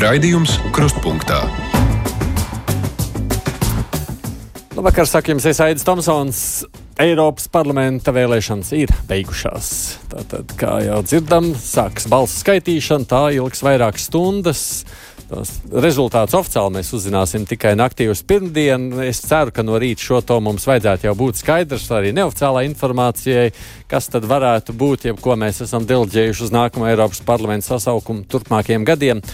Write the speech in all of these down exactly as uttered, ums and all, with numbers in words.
Raidījums Krustpunktā. Labvakar, saka jums, es Aidis Tomsons. Eiropas parlamenta vēlēšanas ir beigušās. Tātad, kā jau dzirdam, sāks balsu skaitīšana, tā ilgs vairākas stundas. Tos rezultātus oficiāli mēs uzzināsim tikai naktī uz pirmdienu. Es ceru, ka no rīta šo to mums vajadzētu jau būt skaidrs, arī neoficiālā informācijai, kas tad varētu būt, ja ko mēs esam deleģējuši uz nākamo Eiropas parlamenta sasaukumu turpmākajiem gadiem.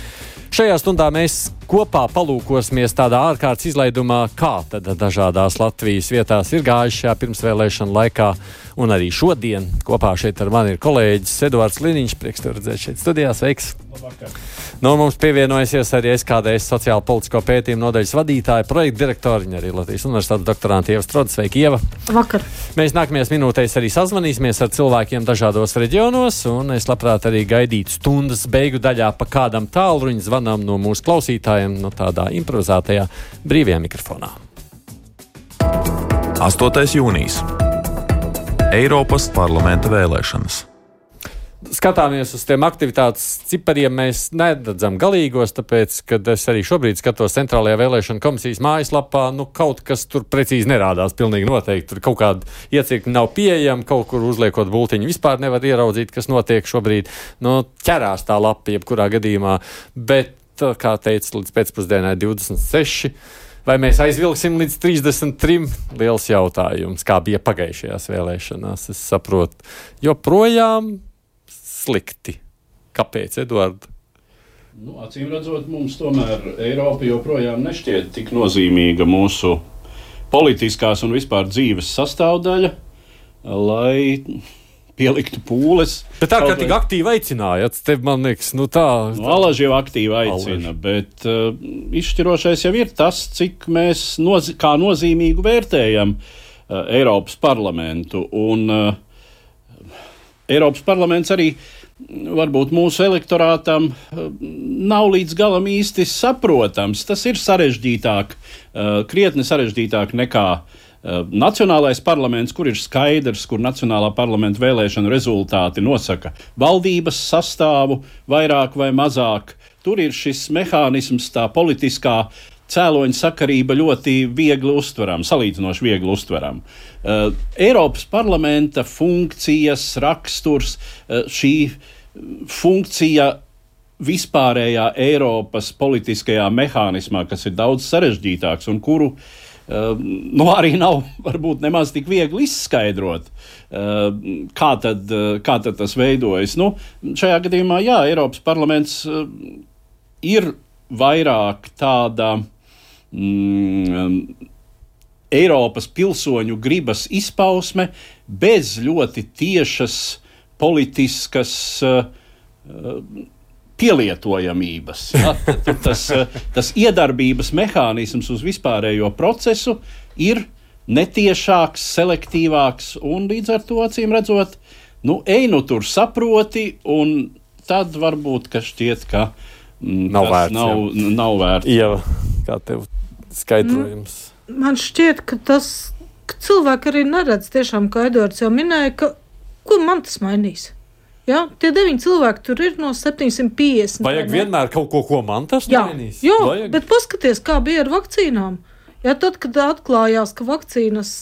Šajā stundā mēs kopā palūkosimies tādā ārkārtas izlaidumā, kā tad dažādās Latvijas vietās ir gājuši šajā pirmsvēlēšana laikā. Un arī šodien kopā šeit ar mani ir kolēģis Eduards Liniņš. Prieks tev redzēt šeit studijā. Sveiks! Labvakar! No mums pievienojusies arī S K D S sociālo politisko pētījumu nodaļas vadītāja, projekta direktori, arī Latvijas Universitātes doktorante Ieva Strode. Sveiki, Ieva! Vakar! Mēs nākamajās minūtēs arī sazvanīsimies ar cilvēkiem dažādos reģionos, un es labprāt arī gaidītu stundas beigu daļā pa kādam tālruņa zvanam no mūsu klausītājiem, no tādā improvizētajā brīvajā mikrofonā. astotais jūnijas. Eiropas parlamenta vēlēšanas. Skatāmies uz tiem aktivitātes cipariem, mēs neredzam galīgos, tāpēc, kad es arī šobrīd skatos Centrālajā vēlēšana komisijas mājaslapā, nu kaut kas tur precīzi nerādās, pilnīgi noteikti. Tur kaut kāda iecirkņa nav pieejama, kaut kur uzliekot bultiņu vispār nevar ieraudzīt, kas notiek šobrīd. Nu, ķerās tā lapa jebkurā gadījumā, bet, kā teica, līdz pēcpusdienai divdesmit seši. Vai mēs aizvilksim līdz trīsdesmit trim? Liels jautājums, kā bija pagājušajās vēlēšanās, es saprotu. Joprojām slikti. Kāpēc, Eduard? Nu, acīm redzot, mums tomēr Eiropa joprojām nešķiet tik nozīmīga mūsu politiskās un vispār dzīves sastāvdaļa, lai pieliktu pūles. Bet tā, ka tik aktīvi aicinājāt, tev, man liekas, nu tā... Nu, Alaži jau aktīvi aicina, Alaži. Bet uh, izšķirošais jau ir tas, cik mēs noz- kā nozīmīgu vērtējam uh, Eiropas parlamentu. Un uh, Eiropas parlaments arī varbūt mūsu elektorātam uh, nav līdz galam īsti saprotams. Tas ir sarežģītāk, uh, krietni sarežģītāk nekā Nacionālais parlaments, kur ir skaidrs, kur Nacionālā parlamenta vēlēšana rezultāti nosaka valdības sastāvu vairāk vai mazāk. Tur ir šis mehānisms, tā politiskā cēloņa sakarība ļoti viegli uztverama, salīdzinoši viegli uztverama. Uh, Eiropas parlamenta funkcijas, raksturs, uh, šī funkcija vispārējā Eiropas politiskajā mehānismā, kas ir daudz sarežģītāks un kuru Uh, nu, arī nav varbūt nemaz tik viegli izskaidrot, uh, kā, tad, uh, kā tad tas veidojas. Nu, šajā gadījumā, jā, Eiropas parlaments uh, ir vairāk tāda mm, Eiropas pilsoņu gribas izpausme bez ļoti tiešas politiskas uh, uh, pielietojamības. Ja? Tas, tas iedarbības mehānisms uz vispārējo procesu ir netiešāks, selektīvāks un līdz ar to, acīm redzot, nu, ej nu tur saproti, un tad varbūt, ka šķiet, ka mm, nav tas vērts, nav, nav vērts. Ieva, kā tev skaidrojums? Man šķiet, ka tas, ka cilvēki arī neredz tiešām, kā Eduards jau minēja, ka ko man tas mainīs? Jā, tie deviņi cilvēki tur ir no septiņsimt piecdesmit. Vajag vienmēr kaut ko, ko man tas jā, mainīs? Jā, Vajag. Bet paskaties, kā bija ar vakcīnām. Jā, tad, kad atklājās, ka vakcīnas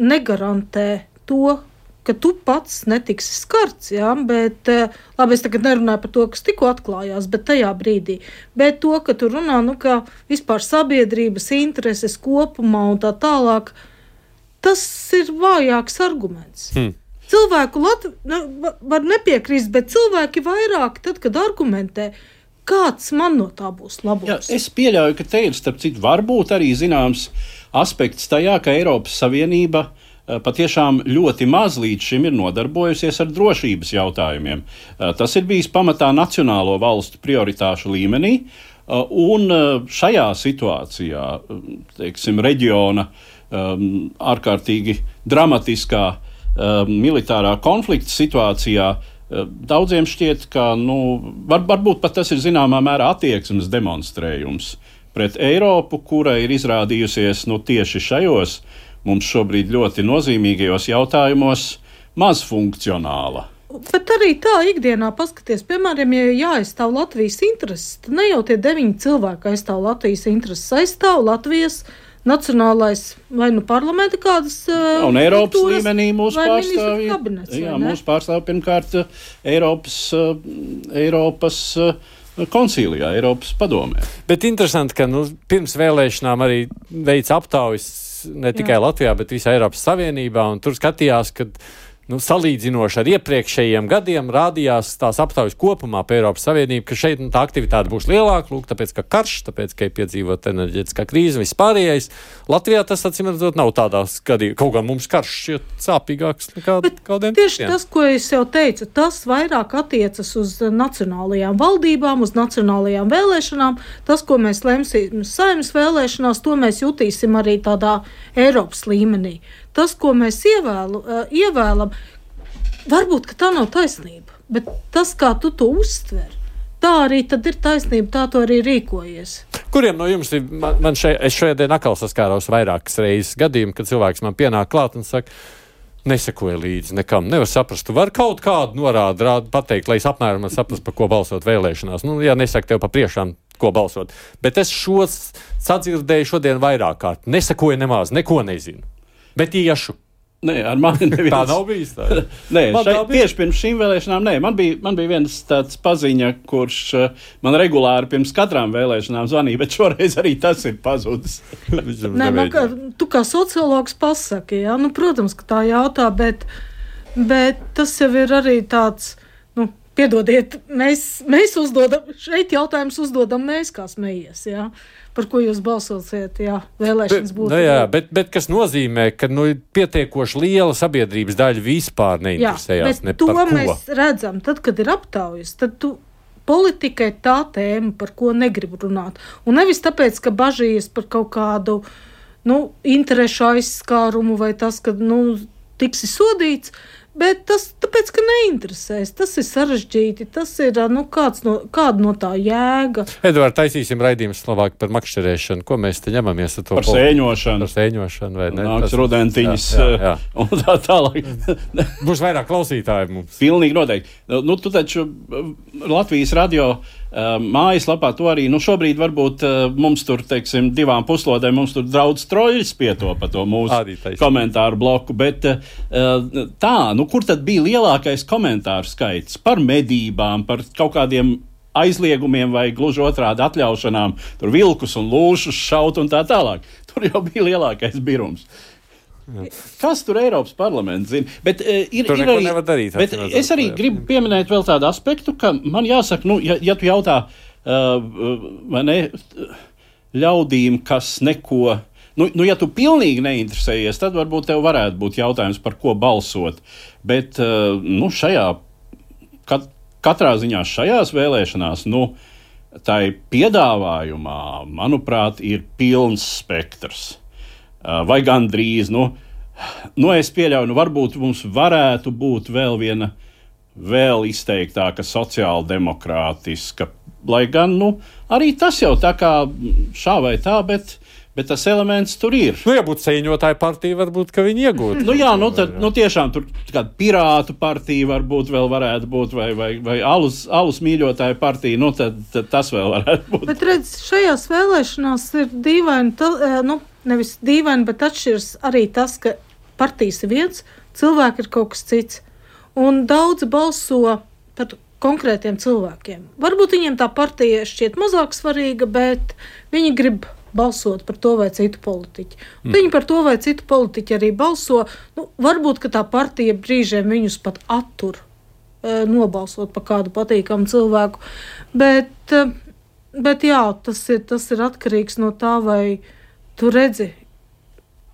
negarantē to, ka tu pats netiksi skarts, jā, bet, labi, es tagad nerunāju par to, kas tikko atklājās, bet tajā brīdī. Bet to, ka tu runā, nu, kā vispār sabiedrības intereses kopumā un tā tālāk, tas ir vājāks arguments. Hmm. Cilvēku Latv... ne, var nepiekrist, bet cilvēki vairāk, tad, kad argumentē, kāds man no tā būs labums. Jā, es pieļauju, ka te ir, starp citu, varbūt arī zināms aspekts tajā, ka Eiropas Savienība patiešām ļoti maz līdz šim ir nodarbojusies ar drošības jautājumiem. Tas ir bijis pamatā nacionālo valstu prioritāšu līmenī, un šajā situācijā, teiksim, reģiona ārkārtīgi dramatiskā Uh, militārā konflikta situācijā uh, daudziem šķiet, ka nu, var, varbūt pat tas ir zināmā mērā attieksmes demonstrējums pret Eiropu, kura ir izrādījusies nu, tieši šajos mums šobrīd ļoti nozīmīgajos jautājumos maz funkcionāla. Bet arī tā ikdienā paskaties, piemēram, ja jāaizstāv Latvijas intereses, tad ne jau tie deviņi cilvēki aizstāv Latvijas intereses, aizstāv Latvijas nacionālais vai nu parlamenta kādas uh, un Eiropas līmenī mūsu pārstāvji. Kabinets, jā, mūsu pārstāvji pirmkārt Eiropas, uh, Eiropas uh, koncīlijā, Eiropas padomē. Bet interesanti, ka nu, pirms vēlēšanām arī veic aptaujas ne tikai jā. Latvijā, bet visā Eiropas Savienībā, un tur skatījās, ka nu, salīdzinoši ar iepriekšējiem gadiem rādījās tās aptaujas kopumā pa Eiropas Savienību, ka šeit nu, tā aktivitāte būs lielāka, lūk, tāpēc, ka karš, tāpēc, ka ir piedzīvot enerģētiskā krīze, vispārējais. Latvijā tas, acīm redzot, nav tādās gadījumā. Kaut kā mums karš šķiet sāpīgāks nekā kādiem tieši citiem. Tas, ko es jau teicu, tas vairāk attiecas uz nacionālajām valdībām, uz nacionālajām vēlēšanām. Tas, ko mēs lemsim Saeimas vēlēšanās, to mēs jutīsim arī tādā Eiropas līmenī. Tas, ko mēs ievēlu, uh, ievēlam, varbūt, ka tā nav taisnība, bet tas, kā tu to uztver, tā arī tad ir taisnība, tā tu arī rīkojies. Kuriem no jums ir, man, man šeit, es šajā dienā atkal saskāros vairākas reizes gadījumu, kad cilvēks man pienāk klāt un saka, nesekoja līdzi nekam, nevar saprast, tu vari kaut kādu norādu rādu pateikt, lai es apmēram saprastu, par ko balsot vēlēšanās. Nu, jā, nesaka tev pa priekšām, ko balsot, bet es šos sadzirdēju šodien vairāk kārt, nesekoja nemaz, neko nezinu. Bet iešu. Nē, ar mani neviens. Tā nav bijis tā. Nē, šai, tieši pirms šīm vēlēšanām, nē, man bija, man bija viens tāds paziņa, kurš uh, man regulāri pirms katrām vēlēšanām zvanīja, bet šoreiz arī tas ir pazudis. Nē, man kā, tu kā sociologs pasaki, jā, nu, protams, ka tā jautā, bet, bet tas jau ir arī tāds, nu, piedodiet, mēs, mēs uzdodam, šeit jautājums uzdodam mēs, kā smējies, jā. Par ko jūs balsosiet, jā, vēlēšanas būtu. Nu, jā, bet, bet kas nozīmē, ka nu, pietiekoši liela sabiedrības daļa vispār neinteresējās jā, ne par ko. To mēs redzam, tad, kad ir aptaujas, tad tu politika ir tā tēma, par ko negrib runāt. Un nevis tāpēc, ka bažījies par kaut kādu, nu, interešu aizskārumu vai tas, ka, nu, tiksi sodīts, bet tas tāpēc, ka neinteresēs. Tas ir sarežģīti, tas ir, nu, kāds no, kāda no tā jēga. Edvard, taisīsim raidījumu Slovāku par makšķerēšanu. Ko mēs te ņemamies ar to? Par sēņošanu. Par sēņošanu, vai ne? Nāks rudentiņas un tā tālāk. Būs vairāk klausītāji mums. Pilnīgi noteikti. Nu, tu taču Latvijas radio mājaslapā to arī, nu, šobrīd varbūt mums tur, teiksim, divām puslodēm mums tur draudz troļļis pietopa to mūsu komentāru bloku, bet tā, nu, kur tad bija lielākais komentāru skaits par medībām, par kaut kādiem aizliegumiem vai gluži otrādi atļaušanām, tur vilkus un lūšus šaut un tā tālāk. Tur jau bija lielākais birums. Kas tur Eiropas parlaments zina? Bet, uh, ir, tur ir arī, nevar darīt. Bet es arī gribu pieminēt vēl tādu aspektu, ka man jāsaka, nu, ja, ja tu jautā uh, vai ne, ļaudīm, kas neko, nu, nu, ja tu pilnīgi neinteresējies, tad varbūt tev varētu būt jautājums, par ko balsot. Bet, uh, nu, šajā, kat, katrā ziņā šajās vēlēšanās, nu, tai piedāvājumā, manuprāt, ir pilns spektrs. Vai gandrīz, nu, nu, es pieļauju, nu, varbūt mums varētu būt vēl viena, vēl izteiktāka sociāldemokrātiska, lai gan, nu, arī tas jau tā kā šā vai tā, bet, bet tas elements tur ir. Nu, ja būtu sēņotāja partija, varbūt, ka viņi iegūtu. Nu, jā, nu, tad, nu, tiešām tur kāda pirātu partija varbūt vēl varētu būt, vai, vai, vai alus, alus mīļotāja partija, nu, tad, tad tas vēl varētu būt. Bet, redz, šajās vēlēšanās ir dīvaini, ta, nu, nevis dīvaini, bet atšķiras arī tas, ka partijas ir viens, cilvēki ir kaut kas cits. Un daudzi balso par konkrētiem cilvēkiem. Varbūt viņiem tā partija šķiet mazāk svarīga, bet viņi grib balsot par to vai citu politiķu. Mm. Viņi par to vai citu politiķu arī balso. Nu, varbūt, ka tā partija brīžiem viņus pat attur e, nobalsot par kādu patīkamu cilvēku. Bet, e, bet jā, tas ir, tas ir atkarīgs no tā, vai tu redzi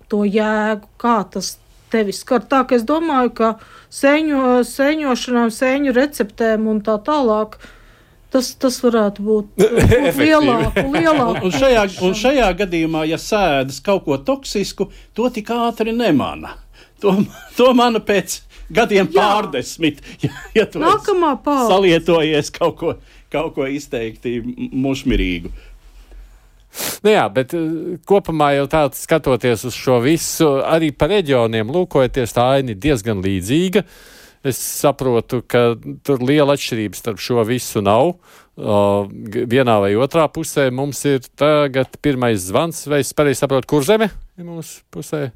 to jēgu, kā tas tevi skar. Tā, ka es domāju, ka sēņo, sēņošanām, sēņu receptēm un tā tālāk, tas, tas varētu būt lielāku, lielāku. Un, un, šajā, un šajā gadījumā, ja sēdas kaut ko toksisku, to tik ātri nemana. To, to mana pēc gadiem Jā. pārdesmit, ja, ja tu salietojies kaut ko, kaut ko izteikti mušmirīgu. Nu jā, bet kopumā jau tāds skatoties uz šo visu, arī par reģioniem lūkojoties, tā aina ir diezgan līdzīga. es saprotu, ka tur liela atšķirības starp šo visu nav. Uh, vienā vai otrā pusē mums ir tagad pirmais zvans, vai es pareizi saprotu, kur zeme ir mūsu pusē?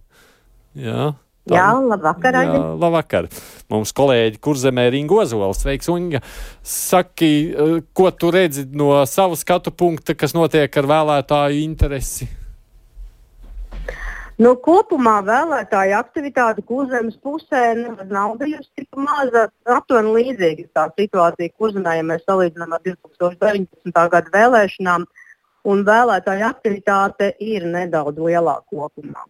Jā. Tā. Jā, labvakar. Jā, labvakar. Mums kolēģi Kurzemē ir Inga Ozola. Sveiks, Inga. Saki, ko tu redzi no savu skatu punkta, kas notiek ar vēlētāju interesi? Nu, kopumā vēlētāju aktivitāte Kurzemes pusē nav bijusi tik maza, aptuveni līdzīga tā situācija Kurzemē, ja mēs salīdzinām ar divtūkstoš deviņpadsmitā gada vēlēšanām, un vēlētāju aktivitāte ir nedaudz lielāka kopumā.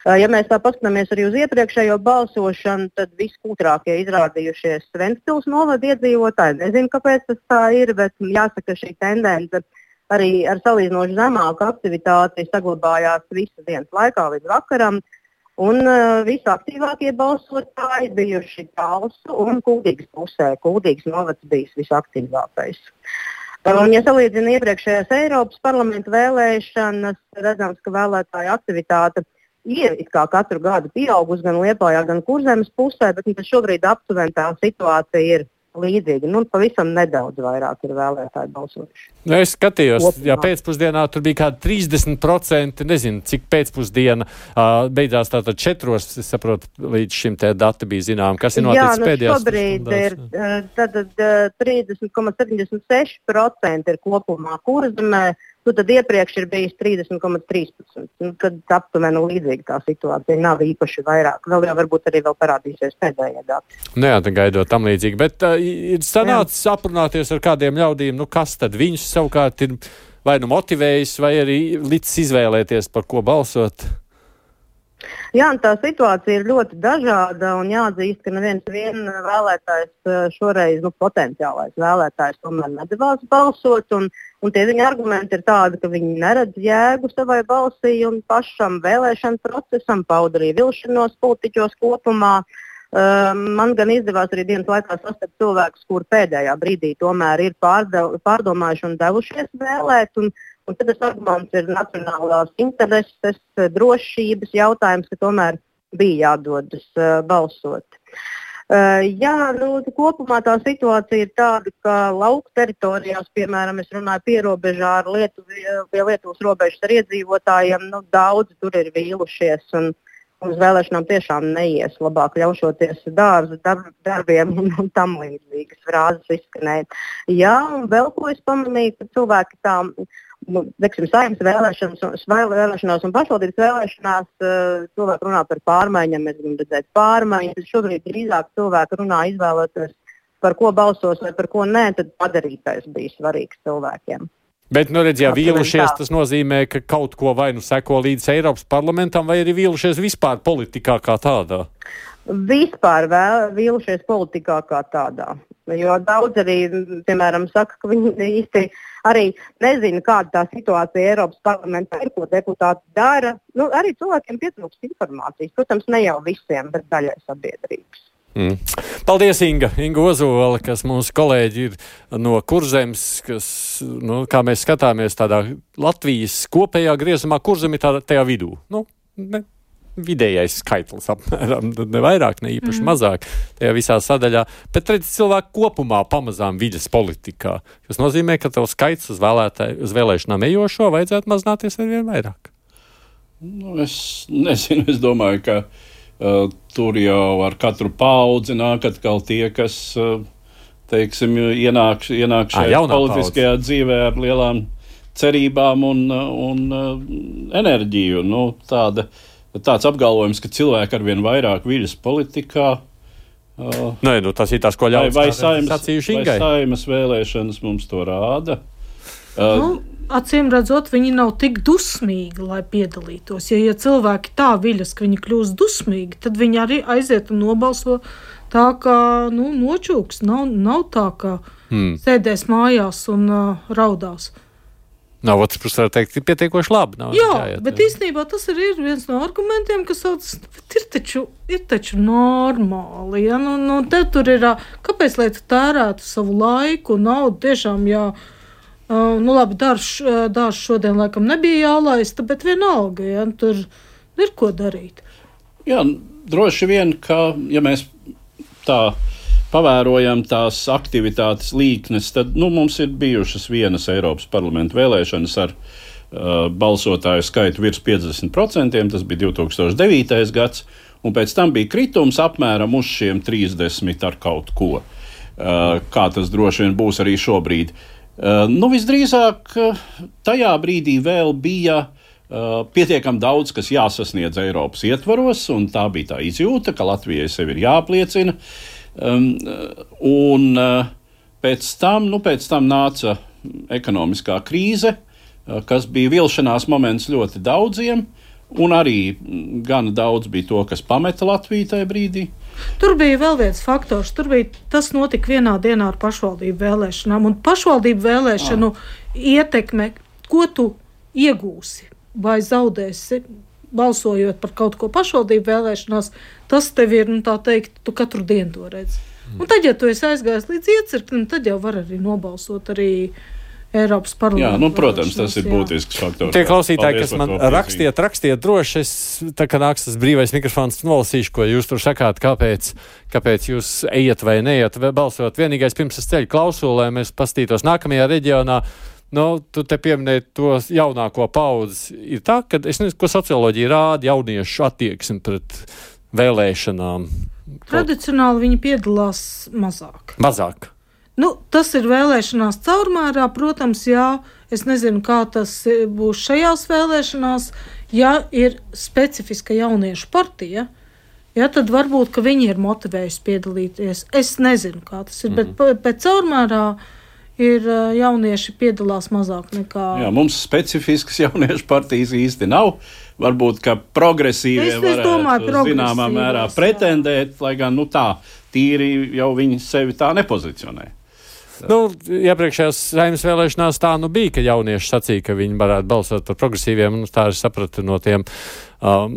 Ja mēs tā paskatāmies arī uz iepriekšējo balsošanu, tad viskūtrākie izrādījušies Ventspils novada iedzīvotāji. Nezinu, kāpēc tas tā ir, bet jāsaka, šī tendence arī ar salīdzinoši zemāku aktivitāti saglabājās visas dienas laikā līdz vakaram. Un uh, visaktīvākie balsotāji bijuši Talsu un Kuldīgas pusē. Kuldīgas novads bijis visaktīvākais. Un, ja salīdzina iepriekšējās Eiropas parlamenta vēlēšanas, redzams, ka vēlētāju aktivitāte ir it kā katru gadu pieaugusi gan Liepājā, gan Kurzemes pusē, bet nu, šobrīd aptuveni tā situācija ir līdzīga. Nu, pavisam nedaudz vairāk ir vēlētāji balsojuši. Nu, es skatījos, ja pēcpusdienā tur bija kādi trīsdesmit procenti, nezinu, cik pēcpusdiena uh, beidzās tātad četros, es saprotu, līdz šim tie dati bija zinām, kas ir noticis pēdējās. Jā, nu šobrīd ir tad, trīsdesmit komats septiņdesmit seši procenti ir kopumā Kurzemē. Nu, tad iepriekš ir bijis trīsdesmit komats trīspadsmit. Nu, tad aptuveni līdzīga tā situācija. Nav īpaši vairāk. Vēl jau varbūt arī vēl parādīsies pēdējie dati. Nu jā, tad gaidot tam līdzīgi. Bet uh, ir sanācis aprunāties ar kādiem ļaudīm, nu kas tad viņus savukārt ir vai nu motivējis, vai arī licis izvēlēties, par ko balsot? Jā, tā situācija ir ļoti dažāda un jāatzīst, ka neviens vien vēlētājs šoreiz, nu, potenciālais vēlētājs tomēr nedavās balsot, un, un tie viņa argumenti ir tādi, ka viņi neredz jēgu savai balsī un pašam vēlēšanu procesam, pauda arī vilšanos politiķos kopumā. Uh, man gan izdevās arī dienas laikā sastapt cilvēkus, kur pēdējā brīdī tomēr ir pārdev, pārdomājuši un devušies vēlēt, un Un tad tas arguments ir nacionālās intereses, drošības jautājums, ka tomēr bija jādodas uh, balsot. Uh, jā, nu, kopumā tā situācija ir tāda, ka lauku teritorijās, piemēram, es runāju pierobežā ar Lietuvi, pie Lietuvas robežas ar iedzīvotājiem, nu, daudzi tur ir vīlušies un uz vēlēšanām tiešām neies, labāk ļaušoties dārzu darb, darbiem un, un tam līdzīgas frāzes izskanēja. Jā, un vēl ko es pamanīju, ka cilvēki tā... Nu, teiksim, saimnes vēlēšanas, vēlēšanās un pašvaldības vēlēšanās uh, cilvēki runā par pārmaiņām, mēs gribam redzēt pārmaiņas. Šobrīd drīzāk cilvēki runā izvēlēties, par ko balsos vai par ko nē, tad padarītais bija svarīgs cilvēkiem. Bet, nu redz, ja vīlušies, tas nozīmē, ka kaut ko vai nu seko līdz Eiropas parlamentam, vai arī vīlušies vispār politikā kā tādā? Vispār vēl, vīlušies politikā kā tādā. Jo daudz arī, piemēram, saka, ka viņi īsti arī nezina, kāda tā situācija Eiropas parlamentā ir, ko deputāti dara. Nu, arī cilvēkiem pietrūkst informācijas. Protams, ne jau visiem, bet daļai sabiedrības. Mm. Paldies, Inga. Inga Ozola, kas mūsu kolēģi ir no Kurzemes, kas, nu, kā mēs skatāmies tādā Latvijas kopējā griezumā, Kurzem ir tādā tajā vidū. Nu, ne. Vidējais skaitlis apmēram, ne vairāk, ne īpaši mm. mazāk tajā visā sadaļā, bet redz cilvēku kopumā pamazām vides politikā, kas nozīmē, ka tev skaits uz, vēlētāju, uz vēlēšanām ejošo vajadzētu mazināties ar vien vairāk. Nu, es nezinu, es domāju, ka uh, tur jau ar katru paudzi nāk atkal tie, kas, uh, teiksim, ienāk, ienāk šajā politiskajā paudze. Dzīvē ar lielām cerībām un, un uh, enerģiju. Nu, tāda Tāds apgalvojums, ka cilvēki arvien vairāk viļas politikā. Uh, Nē, nu tas ir tas, ko ļauts vai, vai saimas vēlēšanas mums to rāda. Uh, nu, acīm redzot, viņi nav tik dusmīgi, lai piedalītos. Ja, ja cilvēki tā viļas, ka viņi kļūst dusmīgi, tad viņi arī aiziet un nobalso tā, kā nu, nočūks. Nav, nav tā, ka hmm. sēdēs mājās un uh, raudās. Nav otrs puses, var teikt, ir pietiekoši labi. Nav jā, jāiet, bet jā. Īstenībā tas arī ir viens no argumentiem, kas sauc, ir taču, ir taču normāli. Ja? Nu, nu, te tur ir, kāpēc, lai tu tērētu savu laiku, naudu, tiešām, jā, uh, nu labi, dārš, dārš šodien laikam nebija jālaista, bet vienalga, ja? Tur ir ko darīt. Jā, droši vien, ka, ja mēs tā pavērojam tās aktivitātes līknes, tad nu, mums ir bijušas vienas Eiropas parlamenta vēlēšanas ar uh, balsotāju skaitu virs piecdesmit procentiem, tas bija divi tūkstoši devītais gads, un pēc tam bija kritums apmēram uz šiem trīsdesmit ar kaut ko. Uh, kā tas droši vien būs arī šobrīd. Uh, nu, visdrīzāk tajā brīdī vēl bija uh, pietiekami daudz, kas jāsasniedz Eiropas ietvaros, un tā bija tā izjūta, ka Latvijai sevi ir jāapliecina. Um, un uh, pēc tam, nu, pēc tam nāca ekonomiskā krīze, uh, kas bija vilšanās moments ļoti daudziem, un arī gana daudz bija to, kas pameta Latviju tajā brīdī. Tur bija vēl viens faktors. Tur bija tas notika vienā dienā ar pašvaldību vēlēšanām. Un pašvaldību vēlēšanu ah. ietekme, ko tu iegūsi vai zaudēsi, balsojot par kaut ko pašvaldību vēlēšanās, tas tev ir, nu tā teikt, tu katru dienu to redzi. Mm. Un tad, ja tu esi aizgājis līdz iecirknim, tad jau var arī nobalsot arī Eiropas parlamentu. Jā, nu, protams, tas ir būtisks faktors. Tie klausītāji, kas man rakstiet, rakstiet droši, es, tā kā nāks tas brīvais mikrofons, nolasīšu, ko jūs tur sakāt, kāpēc, kāpēc jūs ejat vai neiet balsot. Vienīgais pirms es ceļu klausulu, lai mēs pastītos nākamajā reģionā. Nu, tu te pieminēji to jaunāko paudzi. Ir tā, ka, es nezinu, ko socioloģija rāda jauniešu attieksmi pret vēlēšanām. Tradicionāli viņi piedalās mazāk. Mazāk. Nu, tas ir vēlēšanās caurmērā, protams, jā, es nezinu, kā tas būs šajās vēlēšanās, ja ir specifiska jauniešu partija, ja, tad varbūt, ka viņi ir motivējuši piedalīties. Es nezinu, kā tas ir, mm-hmm. bet pēc caurmērā ir jaunieši piedalās mazāk nekā... Jā, mums specifiskas jauniešu partijas īsti nav. Varbūt, ka progresīvie es, varētu es domāju, zināmā mērā pretendēt, jā. Lai gan, nu tā, tīri jau viņi sevi tā nepozicionē. Nu, iepriekšējās Saeimas vēlēšanās tā nu bija, ka jaunieši sacīja, ka viņi varētu balsot par progresīviem, un tā es sapratu no tiem um,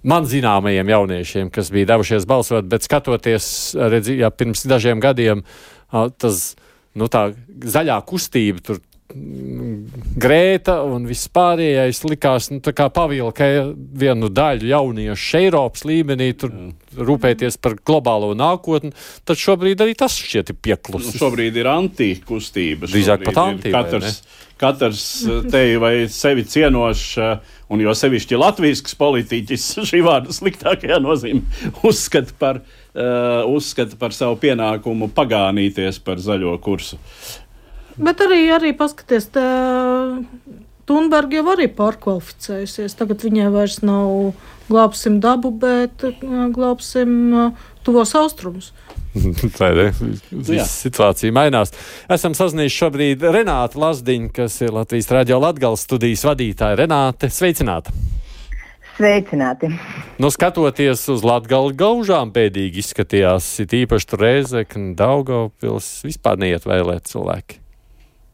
man zināmajiem jauniešiem, kas bija devušies balsot, bet skatoties, redzi, ja pirms dažiem gadiem uh, tas, nu tā, zaļā kustība tur Grēta un viss pārējais likās, nu, tā kā pavilka vienu daļu jauniešu Eiropas līmenī, tur mm. rūpēties par globālo nākotni, tad šobrīd arī tas šķiet ir pieklusis. Nu, šobrīd ir antikustība. Drīzāk pat anti, katrs, katrs tevi vai sevi cienošs, un jo sevišķi latvijsks politiķis šī vārda sliktākajā nozīmē uzskata par, uh, uzskata par savu pienākumu pagānīties par zaļo kursu. Bet arī, arī paskaties, tā Thunberg jau arī pārkvalificējusies. Tagad viņai vairs nav glābsim dabu, bet glābsim tuvos austrumus. Tā ir, viss situācija mainās. Esam sazinājuši šobrīd Renātu Lazdiņu, kas ir Latvijas Radio Latgales studijas vadītāja. Renāte, sveicināta! Sveicināti! Nu, skatoties uz Latgali, gaužām bēdīgi izskatījās, it īpaši tur Rēzekne, Daugavpils, vispār neiet vēlēt cilvēki.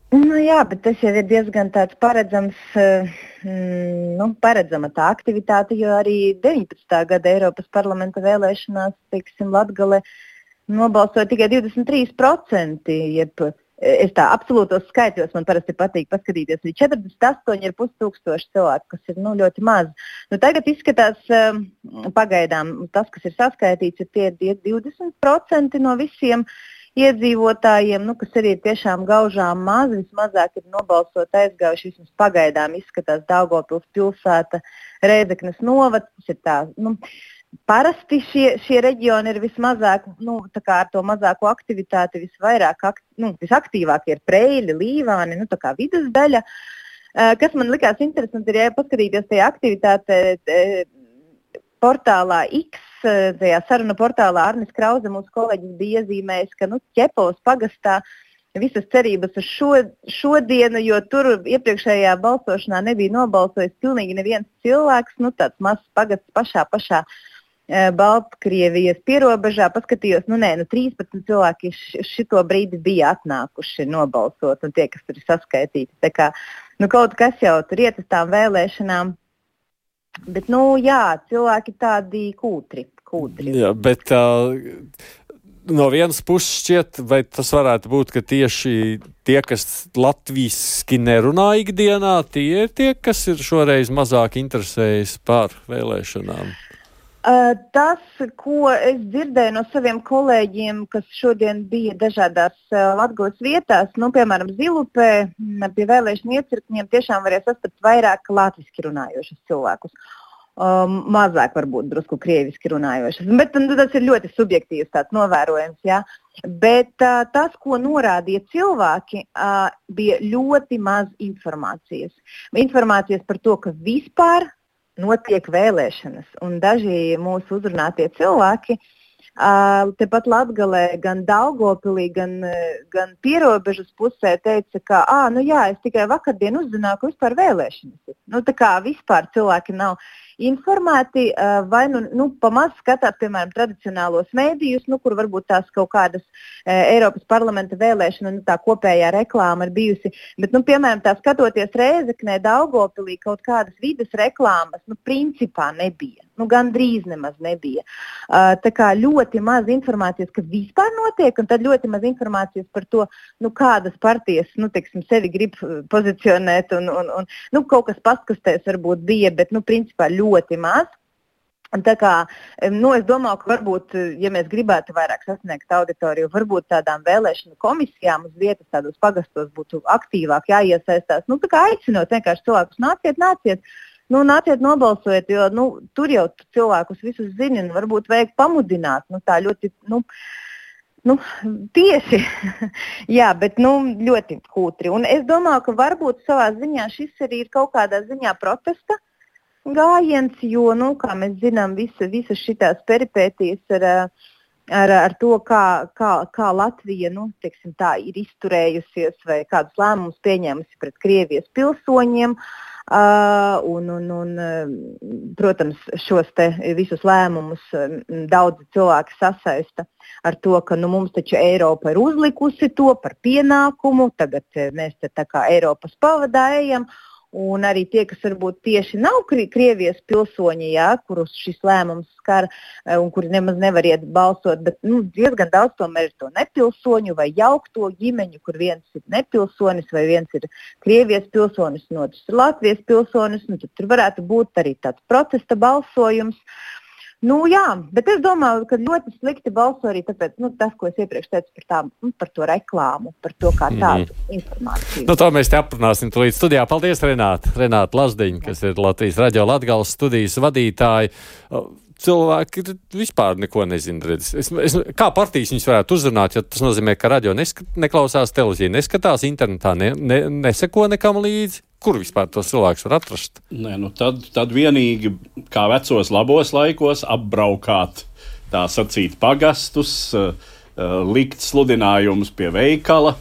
Nu, jā, bet tas jau ir diezgan tāds paredzams, mm, nu, paredzama tā aktivitāte, jo arī deviņpadsmitā gada Eiropas parlamenta vēlēšanās, teiksim, Latgale nobalsoja tikai divdesmit trīs procenti, jeb es tā absolūtos skaitļos man parasti patīk paskatīties, arī četrdesmit astoņi ar pus tūkstoši cilvēku, kas ir nu, ļoti maz. Nu, tagad izskatās um, pagaidām, tas, kas ir saskaitīts, ir tie divdesmit procenti no visiem iedzīvotājiem, nu, kas arī ir tiešām gaužām maz, vismazāk ir nobalsot aizgājuši, vismaz pagaidām izskatās Daugavpils pilsēta, Rēzeknes novads, tas ir tā, nu, parasti šie, šie reģioni ir vismazāk, nu, tā kā ar to mazāko aktivitāti visvairāk, akt, nu, visaktīvāk ir Preļi, Līvāni, nu, tā kā vidus daļa. Kas man likās interesanti, ir, ja paskatīties tajā aktivitātē portālā X, tajā saruna portālā Arnis Krauze, mūsu kolēģis, bija iezīmējis, ka nu, Ķepavas pagastā visas cerības uz šo, šodienu, jo tur iepriekšējā balsošanā nebija nobalsojis pilnīgi neviens cilvēks, nu tāds mazs pagasts pašā pašā e, Baltkrievijas pierobežā, paskatījos, nu nē, nu trīspadsmit cilvēki š, šito brīdi bija atnākuši nobalsot, un tie, kas tur ir saskaitīti. Tā kā, nu kaut kas jau tur iet uz tām vēlēšanām. Bet, nu, jā, cilvēki tādi kūtri. kūtri. Jā, bet uh, no vienas puses šķiet, vai tas varētu būt, ka tieši tie, kas latviski nerunā ikdienā, tie ir tie, kas ir šoreiz mazāk interesējas par vēlēšanām? Uh, tas, ko es dzirdēju no saviem kolēģiem, kas šodien bija dažādās uh, Latgales vietās, nu, piemēram, Zilupē, pie vēlēšanu iecirkņiem tiešām varēja sastapt vairāk latviski runājošus cilvēkus. Um, mazāk varbūt drusku krieviski runājošas, bet nu, tas ir ļoti subjektīvs tāds novērojums, jā. Bet uh, tas, ko norādīja cilvēki, uh, bija ļoti maz informācijas. Informācijas par to, ka vispār notiek vēlēšanas, un daži mūsu uzrunātie cilvēki uh, tepat Latgalē, gan Daugavpilī, gan, gan pierobežas pusē teica, ka, ā, nu jā, es tikai vakardien uzzināju, ka vispār vēlēšanas ir. Nu, tā kā vispār cilvēki nav informēti, vai nu, nu pamaz skatās, piemēram, tradicionālos mēdījus, nu, kur varbūt tās kaut kādas e, Eiropas parlamenta vēlēšana, nu, tā kopējā reklāma ir bijusi, bet, nu, piemēram, tā skatoties Rēzeknē, Daugavpilī kaut kādas vides reklāmas, nu, principā nebija. Nu, gandrīz nemaz nebija. Uh, tā kā ļoti maz informācijas, ka vispār notiek, un tad ļoti maz informācijas par to, nu, kādas partijas, nu, teiksim, sevi grib pozicionēt, un, un, un nu, kaut kas paskastēs varbūt bija, bet, nu, principā ļoti maz. Un tā kā, nu, es domāju, ka varbūt, ja mēs gribētu vairāk sasniegt auditoriju, varbūt tādām vēlēšanu komisijām uz vietas tādos pagastos būtu aktīvāk jāiesaistās. Nu, tā kā aicinot vienkārši cilvēkus nāciet, nāciet. Nu, nāciet nobalsojiet, jo nu, tur jau cilvēkus visus zini, un varbūt vajag pamudināt, nu, tā ļoti, nu, nu tieši, jā, bet, nu, ļoti kūtri. Un es domāju, ka varbūt savā ziņā šis arī ir kaut kādā ziņā protesta gājiens, jo, nu, kā mēs zinām, visa, visas šitās peripētīs ar, ar, ar to, kā, kā, kā Latvija, nu, teiksim tā, ir izturējusies vai kādus lēmumus pieņēmusi pret Krievijas pilsoņiem. Uh, un, un, un, protams, šos te visus lēmumus daudzi cilvēki sasaista ar to, ka nu, mums taču Eiropa ir uzlikusi to par pienākumu, tagad mēs te tā kā Eiropas pavadā ejam. Un arī tie, kas varbūt tieši nav Krievijas pilsoņi, jā, kurus šis lēmums skar un kuri nemaz nevar iet balsot, bet nu, diezgan daudz tomēr ir to nepilsoņu vai jaukto ģimeņu, kur viens ir nepilsonis vai viens ir Krievijas pilsonis, un otrs ir Latvijas pilsonis, nu, tad tur varētu būt arī tāds protesta balsojums. Nu, jā, bet es domāju, ka ļoti slikti balso arī tāpēc, nu, tas, ko es iepriekš teicu par, tā, nu, par to reklāmu, par to kā tādu mm. informāciju. Nu, to mēs te aprunāsim tulīt studijā. Paldies, Renāta. Renāta Lazdiņa, kas ir Latvijas Radio Latgales studijas vadītāja. Cilvēki vispār neko nezina. Redz. Es, es, kā partijas viņus varētu uzrunāt, jo tas nozīmē, ka radio nesk- neklausās, televīzija neskatās, internetā ne, ne, neseko nekam līdzi. Kur vispār tos cilvēkus var atrast? Nē, nu tad, tad vienīgi, kā vecos labos laikos, apbraukāt, tā sacīt, pagastus, uh, uh, likt sludinājumus pie veikala.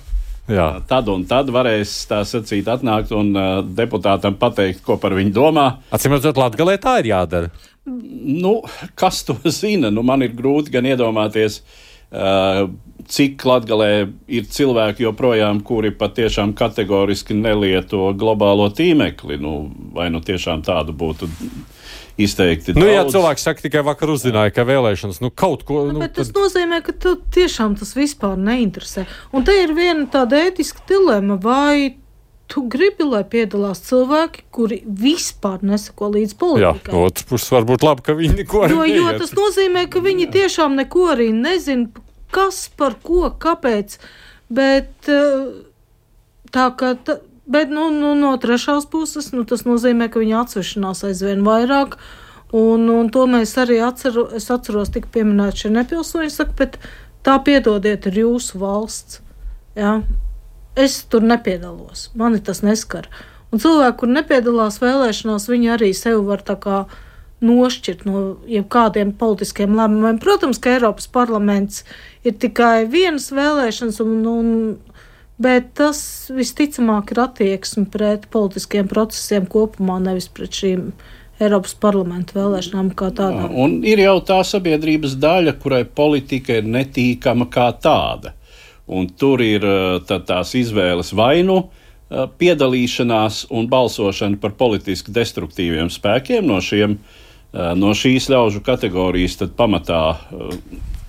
Jā. Uh, tad un tad varēs, tā sacīt, atnākt un uh, deputātam pateikt, ko par viņu domā. Acīm redzot, Latgalē tā ir jādara. Nu, kas to zina? Nu, man ir grūti gan iedomāties, uh, cik Latgalē ir cilvēki joprojām, kuri patiešām kategoriski nelieto globālo tīmekli. Nu, vai nu tiešām tādu būtu izteikti daudz? Nu, ja cilvēks saka, tikai vakar uzzināja, ka vēlēšanas, nu, kaut ko... Nu, nu, bet tas tad... nozīmē, ka tu tiešām tas vispār neinteresē. Un te ir viena tāda ētiska dilema, vai tu gribi, lai piedalās cilvēki, kuri vispār nesako līdz politikai. Jā, no otras puses varbūt labi, ka viņi neko arī jo, jo neiet. tas nozīmē, ka viņi tiešām neko arī nezina, kas par ko, kāpēc, bet tā kā, tā, bet nu, nu, no trešās puses, nu, tas nozīmē, ka viņi atsvešanās aizvien vairāk, un, un to mēs arī atceru, es atceros tik pieminēt šie nepilsoņi, saka, bet tā piedodiet ir jūsu valsts, jā, es tur nepiedalos, mani tas neskar, un cilvēki, kur nepiedalās vēlēšanās, viņi arī sevi var tā kā nošķirt no jebkādiem politiskiem lēmumiem. Protams, ka Eiropas parlaments ir tikai vienas vēlēšanas, un, un, bet tas visticamāk ir attieksme pret politiskiem procesiem kopumā, nevis pret šīm Eiropas parlamenta vēlēšanām kā tādām. Un ir jau tā sabiedrības daļa, kurai politika ir netīkama kā tāda. Un tur ir tā, tās izvēles vainu piedalīšanās un balsošana par politiski destruktīviem spēkiem no šiem No šīs ļaužu kategorijas tad pamatā uh,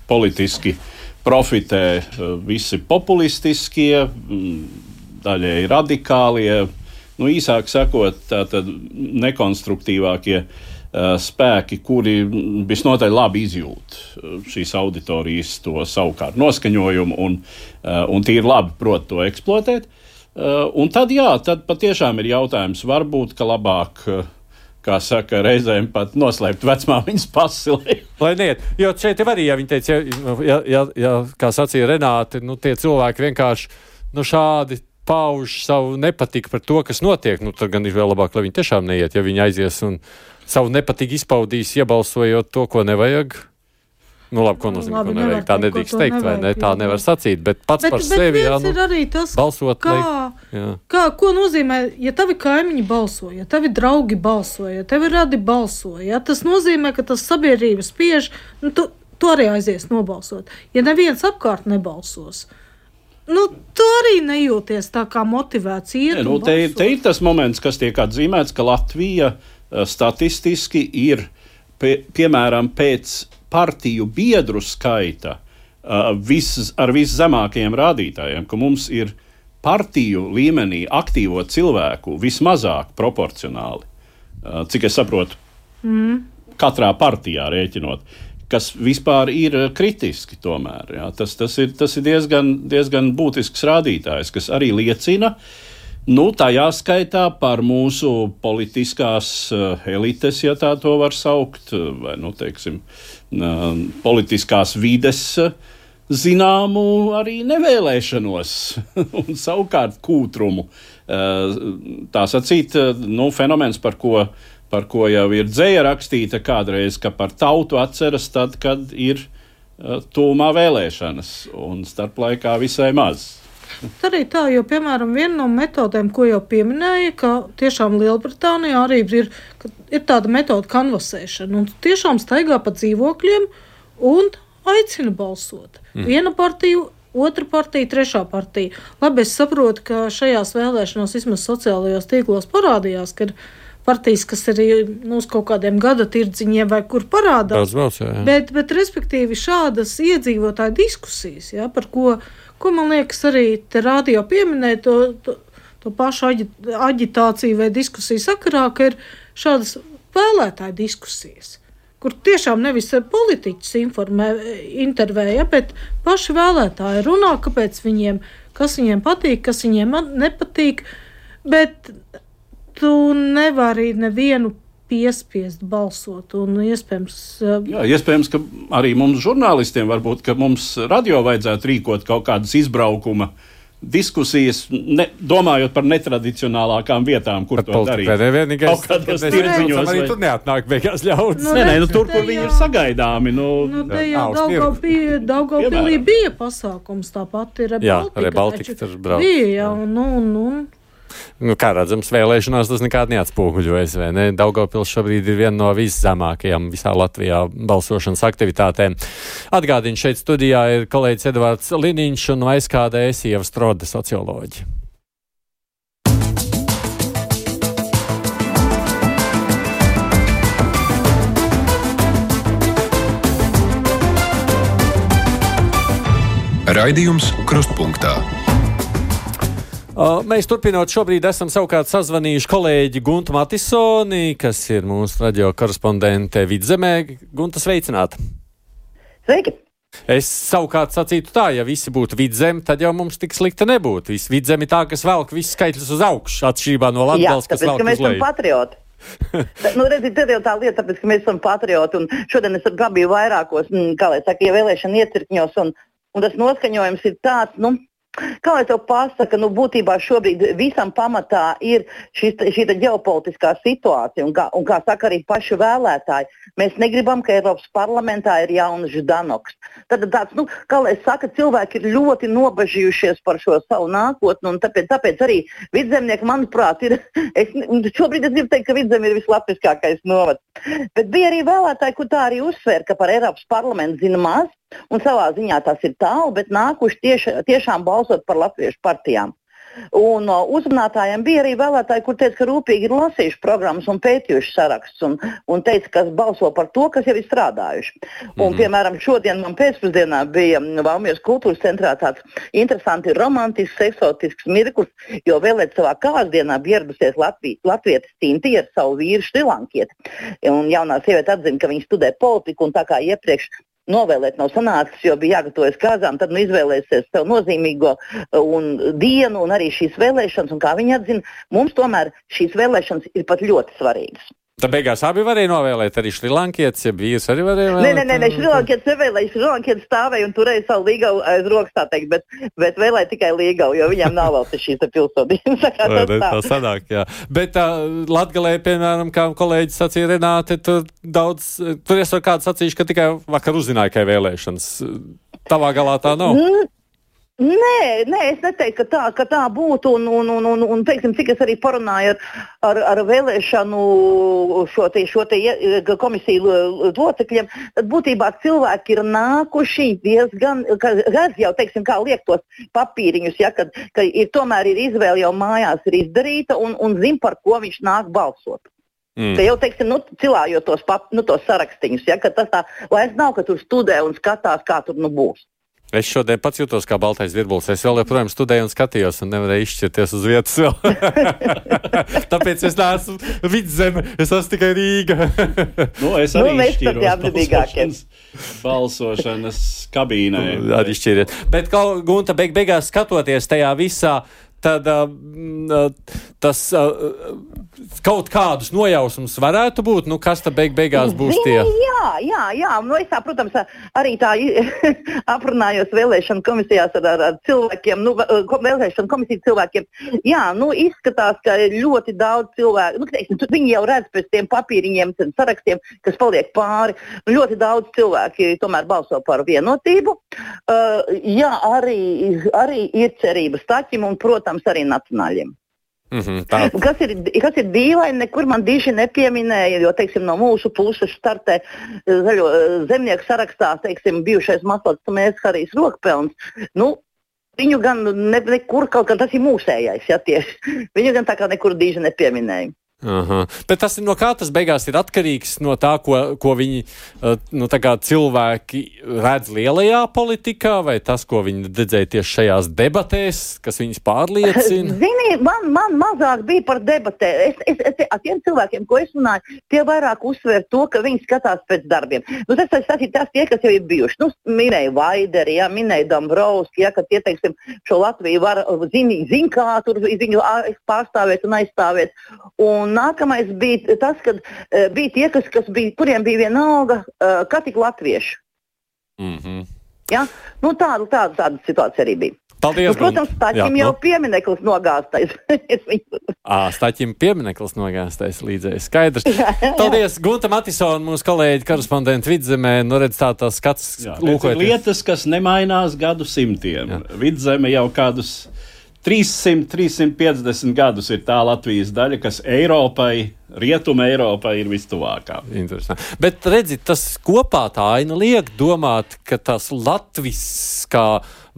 politiski profitē uh, visi populistiskie, um, daļēji radikālie, nu īsāk sakot, tātad nekonstruktīvākie spēki, kuri visnotaļ labi izjūt šīs auditorijas to savukārt noskaņojumu un, un tīri labi prot to eksploatēt. Un tad, jā, tad patiešām ir jautājums, varbūt, ka labāk, kā saka, reizēm pat noslēpt vecmāmiņas pasi. Lai neiet, jo šeit ir arī, ja viņi teica, ja, ja, ja, kā sacīja Renāte, nu tie cilvēki vienkārši, nu šādi pauž savu nepatiku par to, kas notiek, nu tad gan ir vēl labāk, lai viņi tiešām neiet, ja viņi aizies un savu nepatiku izpaudīs, iebalsojot to, ko nevajag. Nu labi, ko nozīmē, ko nevajag. Tā nedrīkst teikt, vai ne? Tā nevar sacīt, bet pats bet, par bet sevi, jā, nu, tas, balsot, kā, lai, kā, ko nozīmē, ja tavi kaimiņi balso, ja tavi draugi balso, ja tavi radi balso, ja tas nozīmē, ka tas sabiedrība spiež, nu, tu, tu arī aizies nobalsot. Ja neviens apkārt nebalsos, nu, tu arī nejūties tā kā motivēts iet ne, nu, un te, balsot. Te ir tas moments, kas tiek atzīmēts, ka Latvija statistiski ir, pie, piemēram, pēc partiju biedru skaita vis, ar viszemākajiem rādītājiem, ka mums ir partiju līmenī aktīvo cilvēku vismazāk proporcionāli, cik es saprotu, mm. katrā partijā rēķinot, kas vispār ir kritiski tomēr. Jā. Tas, tas ir, tas ir diezgan, diezgan būtisks rādītājs, kas arī liecina, nu, tajā skaitā par mūsu politiskās uh, elites, ja tā to var saukt, vai, nu, teiksim, uh, politiskās vides uh, zināmu arī nevēlēšanos un savukārt kūtrumu. Uh, tā sacīt, uh, nu, fenomens, par ko, par ko jau ir dzēja rakstīta kādreiz, ka par tautu atceras tad, kad ir uh, tūmā vēlēšanas un starplaikā visai maz. Tā arī tā, jo, piemēram, viena no metodēm, ko jau pieminēja, ka tiešām Lielbritānijā arī ir, ir tāda metoda kanvasēšana, un tiešām staigā pa dzīvokļiem un aicina balsot. Mm. Viena partija, otra partija, trešā partija. Labi, es saprotu, ka šajās vēlēšanās vismaz sociālajos tīklos parādījās, ka ir partijas, kas arī nu, uz kaut kādiem gada tirdziņiem vai kur parādās. Brauc, jā, jā. Bet, bet, respektīvi, šādas iedzīvotāju diskusijas, jā, par ko Ko man liekas arī te rādio pieminēja to, to, to pašu aģi, aģitāciju vai diskusiju sakarā, ka ir šādas vēlētāju diskusijas, kur tiešām nevis politiķis informē, intervēja, bet paši vēlētāji runā, kāpēc viņiem, kas viņiem patīk, kas viņiem nepatīk, bet tu nevari nevienu piespiest balsot un iespējams... Jā, iespējams, ka arī mums žurnālistiem varbūt, ka mums radio vajadzētu rīkot kaut kādas izbraukuma diskusijas, ne, domājot par netradicionālākām vietām, kur pat to darīt. Kaut kādos tirdziņos. Arī tur neatnāk beigās ļauds. Nu, nē, nē, nu tur, kur viņi ir sagaidāmi. Nu, nu te jau Daugavpilī, Daugavpilī bija pasākums, tāpat ir jā, Baltika. Jā, Baltika tur brauc. Bija, jā, un, un, un. Nu, kā redzams, vēlēšanās tas nekādi neatspoguļojas, vai ne? Daugavpils šobrīd ir viena no viszemākajām visā Latvijā balsošanas aktivitātēm. Atgādinu, šeit studijā ir kolēģis Edvards Liniņš un V S K D S Ieva Strode, socioloģi. Raidījums Krustpunktā. Uh, mēs turpinot šobrīd esam savukārt sazvanījuši kolēģi Guntu Matisoni, kas ir mūsu radio korespondente Vidzemē. Gunta, sveicināta! Sveiki! Es savukārt sacītu tā, ja visi būtu Vidzemi, tad jau mums tik slikti nebūtu. Visi Vidzemi tā, kas velk visus skaitļus uz augšu, atšķirībā no Latgales, kas velk uz leju. Jā, tāpēc, ka mēs esam patrioti. nu, redziet, tad jau tā lieta, tāpēc, ka mēs esam patrioti, un šodien es pabiju vairākos, kā lai saka, ievēlēšana iecirkņos, un, un tas noskaņojums ir tāds, nu, kā lai tev pasaka, nu būtībā šobrīd visam pamatā ir šī ģeopolitiskā situācija, un kā, un kā saka arī paši vēlētāji, mēs negribam, ka Eiropas parlamentā ir jauns Ždanoks. Tad tāds, nu, kā lai saka, cilvēki ir ļoti nobažījušies par šo savu nākotni, un tāpēc, tāpēc arī Vidzemnieki, manuprāt, ir, es, šobrīd es gribu teikt, ka Vidzemi ir vislatviskākais novads. Bet bija arī vēlētāji, kur tā arī uzsver, ka par Eiropas parlamentu zina maz, un savā ziņā tas ir tālu, bet nākuši tieši, tiešām balsot par latviešu partijām. Un uh, uzrunātājiem bija arī vēlētāji, kur teica, ka rūpīgi ir lasījuši programmas un pētījuši sarakstus un, un teica, kas balso par to, kas jau ir strādājuši. Un, mm-hmm. piemēram, šodien man pēcpusdienā bija Valmieras kultūras centrā tāds interesanti, romantisks, eksotisks mirklis, jo vēlēt savā kārsdienā bija ieradusies Latvijas, latvietis Tinti ar savu vīru šrilankieti. Un jaunā sieviete atzina, ka viņa studē politiku un tā kā iepriekš novēlēt nav sanācis, jo bija jāgatavojas kāzām, tad nu izvēlēsies sev nozīmīgo un dienu un arī šīs vēlēšanas, un kā viņi atzina, mums tomēr šīs vēlēšanas ir pat ļoti svarīgas. Tad beigās abi varēja novēlēt, arī šrilankietis, ja vīrs arī varēja vēlēt? Nē, nē, nē, nē šrilankietis nevēlēja, šrilankietis stāvēja un turēja savu līgavu aiz rokas, tā teikt, bet, bet vēlēja tikai līgavu, jo viņām nav vēl šīs pilsonības. Tā, tā sanāk, jā. Bet uh, Latgalē, piemēram, kā kolēģis sacīja Renāte, tur daudz, tur es ar kādu sacīšu, ka tikai vakar uzzināju, ka ir vēlēšanas. Tavā galā tā nav? Mm. Nē, nē, es neteiktu, ka tā, ka tā būtu, un, un, un, un, un teiksim, cik es arī parunāju ar, ar, ar vēlēšanu šo te, šo te komisiju locekļiem, tad būtībā cilvēki ir nākuši diezgan, redz jau, teiksim, kā liek tos papīriņus, ja, kad, ka ir, tomēr ir izvēle jau mājās ir izdarīta un, un zin, par ko viņš nāk balsot. Mm. Ka jau, teiksim, nu, cilājot tos, pap, nu, tos sarakstiņus, ja, ka tas tā, vairs nav, ka tur studē un skatās, kā tur nu būs. Es šodien pats jūtos kā baltais virbulis. Es vēl joprojām studēju un skatījos un nevarēju izšķirties uz vietas vēl. Tāpēc es neesmu Vidzeme, es esmu tikai Rīga. Nu, es arī nu, izšķiros balsošanas, balsošanas kabīnē. Nu, arī šķiriet. Bet, kaut, Gunta, beig, beigās skatoties tajā visā, tad uh, tas uh, kaut kādus nojausmus varētu būt, nu kas tad beig beigās būs tie? Jā, jā, jā, nu es tā, protams, arī tā aprunājos vēlēšanu komisijās ar, ar, ar cilvēkiem, nu vēlēšanu komisiju cilvēkiem, jā, nu izskatās, ka ļoti daudz cilvēku, nu teiksim, viņi jau redz pēc tiem papīriņiem, sarakstiem, kas paliek pāri, ļoti daudz cilvēki tomēr balso par vienotību, uh, jā, arī, arī ir cerības Staķim un, protams, arī nacionāļiem. Mm-hmm, kas, ir, kas ir dīvaini, nekur man diži nepieminēja, jo, teiksim, no mūsu puses startē zaļo zemnieku sarakstā, teiksim, bijušais Maslats mēs Harijs Rokpelns. Nu, viņu gan ne, nekur kaut kā tas ir mūsējais, ja tieši. Viņu gan tā kā nekur diži nepieminēja. Aha. Bet tas ir no kā tas beigās ir atkarīgs no tā, ko, ko viņi nu, tā kā cilvēki redz lielajā politikā, vai tas, ko viņi redzēja tieši šajās debatēs, kas viņus pārliecina? Zini, man, man mazāk bija par debatē. Es, es, es, ar tiem cilvēkiem, ko es runāju, tie vairāk uzsver to, ka viņi skatās pēc darbiem. Nu, tas, tas, tas ir tas tie, kas jau ir bijuši. Nu, minēja Vaideri, ja, minēja Dombrovski, ja, ka tie, teiksim, šo Latviju var zini, zin kā tur viņu pārstāvēt un aizstāvēt. Un nākamais bija tas, kad uh, bija tie, kas, kas bija, kuriem bija vienalga, uh, kā tik latvieši. Mm-hmm. Ja? Nu, tāda, tāda, tāda situācija arī bija. Paldies, nu, protams, Staķim jau nu. piemineklis nogāstais. Ā, Staķim piemineklis nogāstais līdzēji. Skaidrs. Jā, jā. Paldies, Gunta Matisona, mūsu kolēģi, korespondenti Vidzemē. Nu, redz tā tās skats. Jā, lietas, kas nemainās gadu simtiem. Jā. Vidzeme jau kādus trīssimt, trīssimt piecdesmit gadus ir tā Latvijas daļa, kas Eiropai, Rietuma Eiropai ir vistuvākā. Interesanti. Bet redzi, tas kopā tā aina liek domāt, ka tas latviskā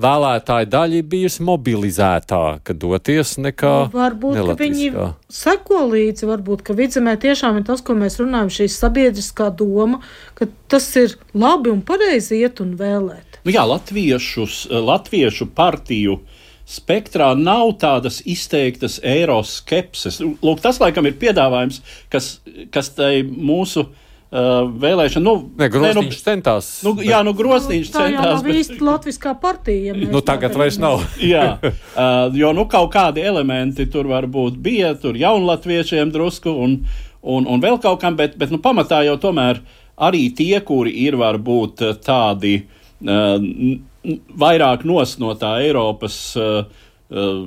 vēlētāja daļa ir bijusi mobilizētāka doties nekā varbūt, ka viņi seko līdzi, varbūt, ka Vidzemē tiešām ir tas, ko mēs runājam, šī sabiedriskā doma, ka tas ir labi un pareizi iet un vēlēt. Nu jā, latviešus, latviešu partiju spektrā nav tādas izteiktas eiroskepses. Lūk, tas laikam ir piedāvājums, kas, kas tai mūsu uh, vēlēšana, nu... Ne, Grosniņš nu, centās. Nu, bet... Jā, nu Grosniņš nu, tā centās. Tā jau nav bet... īsti latviskā partija. Ja nu, tagad vairs nav. Jā, uh, jo nu kaut kādi elementi tur varbūt bija, tur jaunlatviešiem drusku un, un, un vēl kaut kam, bet, bet nu pamatā jau tomēr arī tie, kuri ir varbūt tādi... Uh, vairāk nos no tā Eiropas uh, uh,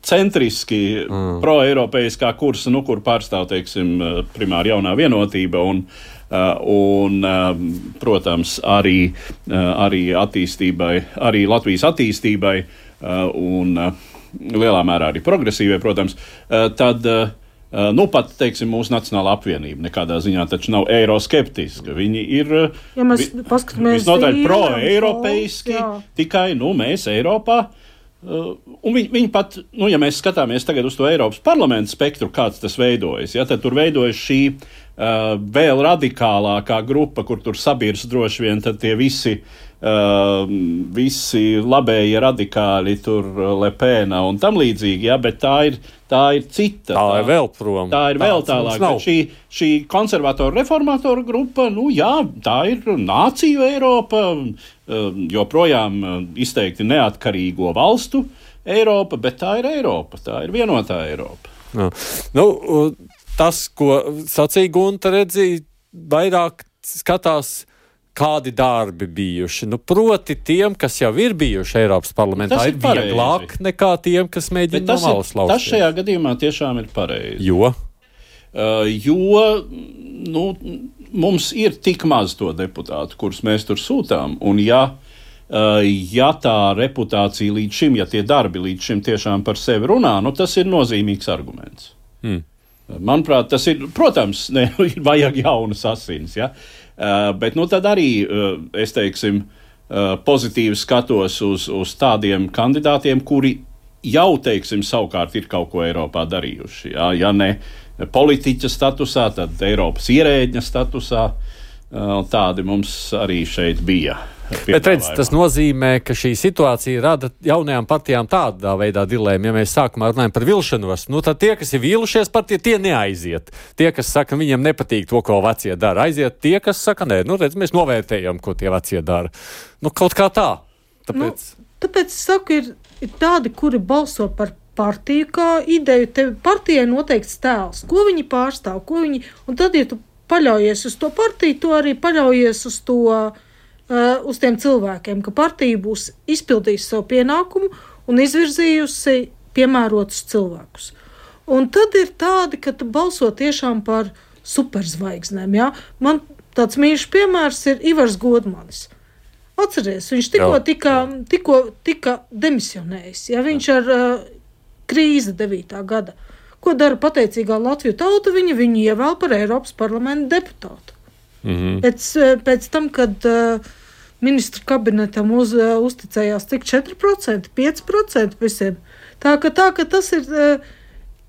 centriski mm. pro-eiropeiskā kursa, nu, kur pārstāv, teiksim, primāri jaunā vienotība un, uh, un uh, protams, arī, uh, arī attīstībai, arī Latvijas attīstībai uh, un uh, lielā mērā arī progresīvai, protams, uh, tad uh, Uh, nu, pat, teiksim, mūsu Nacionālā apvienība nekādā ziņā taču nav eiroskeptiska. Viņi ir ja mēs paskatāmies visnotaļ pro-eiropeiski, tikai, nu, mēs Eiropā Uh, un viņi, viņi pat, nu, ja mēs skatāmies tagad uz to Eiropas parlamenta spektru, kāds tas veidojas, ja, tad tur veidojas šī uh, vēl radikālākā grupa, kur tur sabirs droši vien tad tie visi, uh, visi labējie radikāļi, tur Le Pena un tam līdzīgi, ja, bet tā ir, tā ir cita. Tā, tā ir vēl prom. Tā ir vēl tālāk. Šī, šī konservatoru reformatoru grupa, nu jā, tā ir nāciju Eiropa, joprojām izteikti neatkarīgo valstu Eiropa, bet tā ir Eiropa, tā ir vienotā Eiropa. Jā. Nu, tas, ko sacīja Gunta, redzīja, vairāk skatās, kādi darbi bijuši. Nu, proti tiem, kas jau ir bijuši Eiropas parlamentā, ir, ir vieglāk nekā tiem, kas mēģina no malas lausties. Tas šajā gadījumā tiešām ir pareizi. Jo? Uh, jo, nu, mums ir tik maz to deputātu, kurus mēs tur sūtām, un ja, uh, ja tā reputācija līdz šim, ja tie darbi līdz šim tiešām par sevi runā, nu, tas ir nozīmīgs arguments. Hmm. Manuprāt, tas ir, protams, ne, ir vajag jaunas asins, ja? Uh, bet, nu, tad arī, uh, es teiksim, uh, pozitīvi skatos uz, uz tādiem kandidātiem, kuri jau, teiksim, savukārt ir kaut ko Eiropā darījuši, ja, ja ne politiķa statusā, tad Eiropas ierēģņa statusā, tādi mums arī šeit bija. Bet redz, tas nozīmē, ka šī situācija rada jaunajām partijām tādā veidā dilēmu. Ja mēs sākumā runājam par vilšanos, nu tad tie, kas ir vīlušies par tie, tie neaiziet. Tie, kas saka, viņiem nepatīk to, ko vecie dara, aiziet. Tie, kas saka, nē, nu redz, mēs novērtējam, ko tie vecie dara. Nu, kaut kā tā. Tāpēc, nu, tāpēc es saku, ir, ir tādi, kuri balso par partiju kā ideju. Tev partijai noteikts tēls, ko viņi pārstāv, ko viņi, un tad, ja tu paļaujies uz to partiju, tu arī paļaujies uz to, uh, uz tiem cilvēkiem, ka partija būs izpildījusi savu pienākumu un izvirzījusi piemērotus cilvēkus. Un tad ir tādi, ka tu balso tiešām par superzvaigznēm, ja? Man tāds mīļš piemērs ir Ivars Godmanis. Atceries, viņš tikko tika, tikko tika demisionējis, ja? Viņš ar uh, krīze devītā gada. Ko dara pateicīgā Latviju tauta? Viņa viņu ievēl par Eiropas parlamenta deputātu. Mm-hmm. Pēc, pēc tam, kad uh, ministru kabinetam uz, uh, uzticējās tik četri procenti, pieci procenti visiem. Tā ka, tā, ka tas ir... Uh,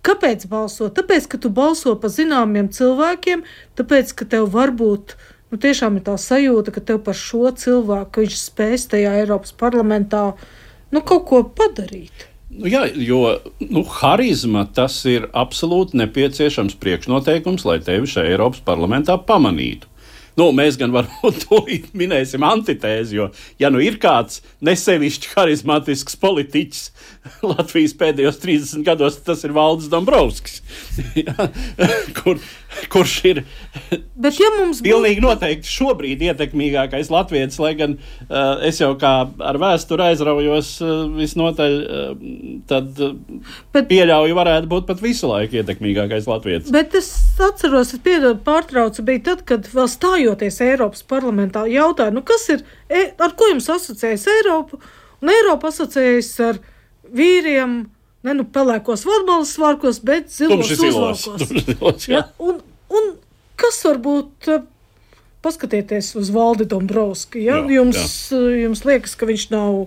kāpēc balso? Tāpēc, ka tu balso pa zināmiem cilvēkiem, tāpēc, ka tev varbūt, nu tiešām ir tā sajūta, ka tev par šo cilvēku, ka viņš spēs tajā Eiropas parlamentā, nu kaut ko padarīt. Nu, jā, jo nu, harizma tas ir absolūti nepieciešams priekšnoteikums, lai tevi šajā Eiropas parlamentā pamanītu. Nu, mēs gan varbūt to minēsim antitēzi, jo, ja nu ir kāds nesevišķi harizmatisks politiķis Latvijas pēdējos trīsdesmit gados, tas ir Valdis Dombrovskis, kur, kurš ir Bet, ja mums pilnīgi būtu... noteikti šobrīd ietekmīgākais latvietis, lai gan uh, es jau kā ar vēsturi aizraujos uh, visnotaļ, uh, tad uh, bet, pieļauju varētu būt pat visu laiku ietekmīgākais latvietis. Bet es atceros, es piedodu pārtraucu, bija tad, kad vēl stājoties Eiropas parlamentā jautāju, nu kas ir, ar ko jums asociējas Eiropa? Un Eiropa asociējas ar vīriem, ne nu pelēkos vadmalas svārkos, bet zilos uzvalkos. Ja? Un, un kas varbūt, paskatieties uz Valdi Dombrovski, ja? jā, jums, jā. jums liekas, ka viņš nav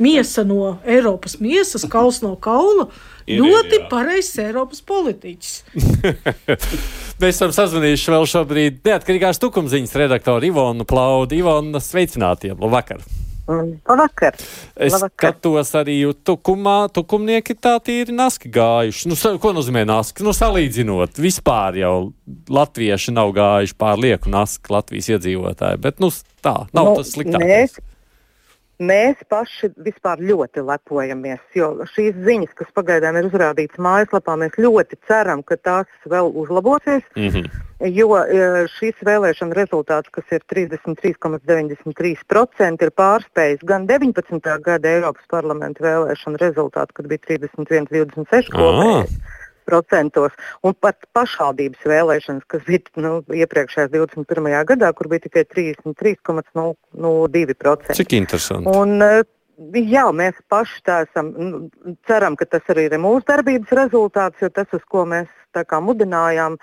miesa no Eiropas miesas, kauls no kaula, ir, ļoti pareizs Eiropas politiķis. Mēs esam sazvanījuši vēl šobrīd neatkarīgās tukumziņas redaktoru Ivonu Plaudu. Ivona, sveicinātiem, labvakar! Labvakar. Es Labvakar. skatos arī tukumā, tukumnieki tā tīri naski gājuši. Nu, ko nozīmē naski? Nu, salīdzinot, vispār jau latvieši nav gājuši pār lieku naski Latvijas iedzīvotāji, bet, nu, tā, nav nu, tas sliktākais. Mēs, mēs paši vispār ļoti lepojamies, jo šīs ziņas, kas pagaidām ir uzrādītas mājaslapā, mēs ļoti ceram, ka tās vēl uzlabosies. Mm-hmm. Jo šīs vēlēšana rezultāts, kas ir trīsdesmit trīs komats deviņdesmit trīs procenti, ir pārspējis gan deviņpadsmitā gada Eiropas parlamenta vēlēšana rezultātu, kad bija trīsdesmit viens divdesmit seši kopējais procentos, un pat pašvaldības vēlēšanas, kas bija nu, iepriekšējās divdesmit pirmajā gadā, kur bija tikai trīsdesmit trīs komats nulle divi procenti. Cik interesanti. Un, jā, mēs paši tā esam, ceram, ka tas arī ir mūsu darbības rezultāts, jo tas, uz ko mēs tā kā mudinājām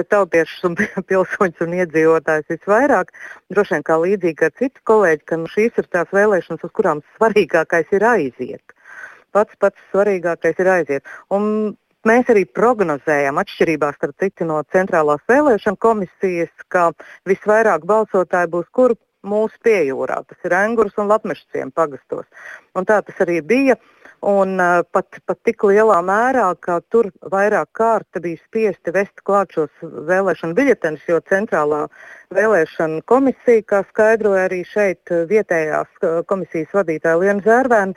tautiešus un pilsoņus un iedzīvotājus visvairāk, droši vien kā līdzīgi ar citu kolēģi, ka nu, šīs ir tās vēlēšanas, uz kurām svarīgākais ir aiziet. pats pats svarīgākais ir aiziet. Un mēs arī prognozējam, atšķirībā starp citu no Centrālās vēlēšana komisijas, ka visvairāk balsotāji būs kur mūsu piejūrā. Tas ir Engures un Latmešciem pagastos. Un tā tas arī bija. Un uh, pat, pat tik lielā mērā, ka tur vairāk kārta bija spiesti vest klāt šos vēlēšanu biļetenus, jo Centrālā vēlēšana komisija, kā skaidroja arī šeit vietējās komisijas vadītāja Liena Zērvēna,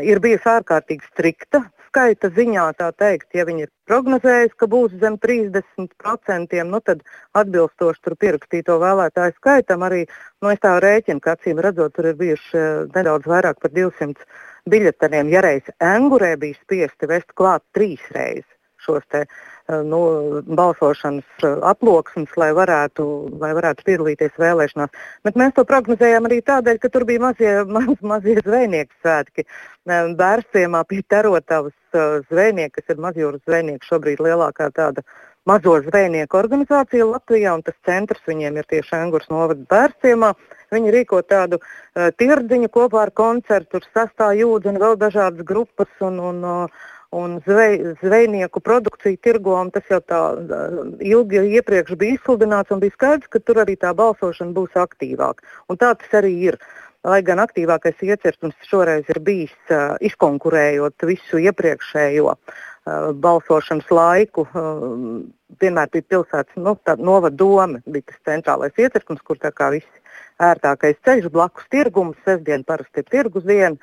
ir bijusi ārkārtīgi strikta skaita ziņā, tā teikt. Ja viņi ir prognozējusi, ka būs zem trīsdesmit procenti, nu tad atbilstoši tur pierakstīto vēlētāju skaitam arī, nu es tā rēķinu, ka acīm redzot, tur ir bijuši nedaudz vairāk par divsimt biļeteniem. Ja reiz Engurē bija spiesti vest klāt trīs reizes šos te nu, balsošanas aploksnes, lai varētu, lai varētu piedalīties vēlēšanās. Bet mēs to prognozējām arī tādēļ, ka tur bija mazie, maz, mazie zvejnieku svētki. Bērciemā pie Terotavas zvejnieki, kas ir mazjūras zvejnieki, šobrīd lielākā tāda mazo zvejnieku organizācija Latvijā, un tas centrs viņiem ir tieši Engures novada Bērciemā. Viņi rīko tādu uh, tirdziņu kopā ar koncertu, tur sastāv jūdzi un vēl dažādas grupas un, un, uh, un zvej, zvejnieku produkciju tirgo, un tas jau tā uh, ilgi iepriekš bija izsludināts un bija skaidrs, ka tur arī tā balsošana būs aktīvāka. Un tā tas arī ir. Lai gan aktīvākais iecirknis šoreiz ir bijis uh, izkonkurējot visu iepriekšējo uh, balsošanas laiku, uh, vienmēr bija pilsētas nu, novada doma, bija tas centrālais iecirknis, kur tā kā visi ērtākais ceļš blakus tirgums, sestdien parasti ir tirgus diena,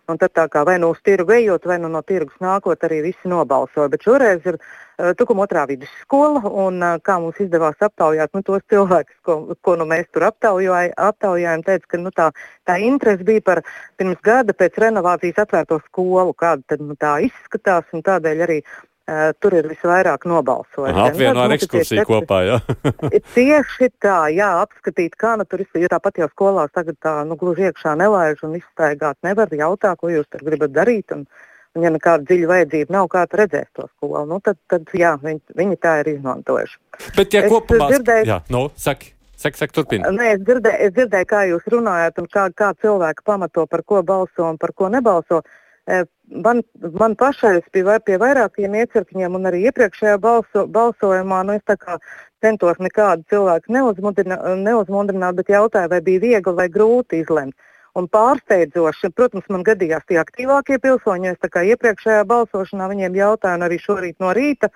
un tad tā kā vai nu uz tirgu ejot, vai nu no tirgus nākot, arī visi nobalsoja. Bet šoreiz ir uh, Tukuma otrā vidusskola, un uh, kā mums izdevās aptaujāt, nu tos cilvēkus, ko, ko nu mēs tur aptaujāj, aptaujājam, teica, ka nu, tā, tā interese bija par pirms gada pēc renovācijas atvērto skolu, kāda tad nu, tā izskatās, un tādēļ arī Uh, tur ir visvairāk nobalsojuši. Apvieno ar ekskursiju kopā, jā? Tieši tā, jā, apskatīt, kā nu tur ir, jo tāpat jau skolās tagad tā, nu, gluži iekšā nelaiž un izstaigāt nevar, jautā, ko jūs tur gribat darīt, un, un ja nekāda dziļa vajadzība nav, kā tu redzēs to skolu, nu, tad, tad jā, viņi, viņi tā ir izmantojuši. Bet, ja es kopumā, dzirdēju, jā, nu, saki. Sek, sek, turpina. Nē, es dzirdēju, es dzirdēju, kā jūs runājat un kā, kā cilvēki pamato, par ko balso un par ko nebalso. Man, man pašai bija pie vairākiem iecirkņiem un arī iepriekšējā balso, balsojumā, nu es tā kā centos nekādu cilvēku neuzmundrināt, bet jautāju, vai bija viegli vai grūti izlemt. Un pārsteidzoši, protams, man gadījās tie aktīvākie pilsoņi, es tā kā iepriekšējā balsošanā viņiem jautāju un arī šorīt no rīta,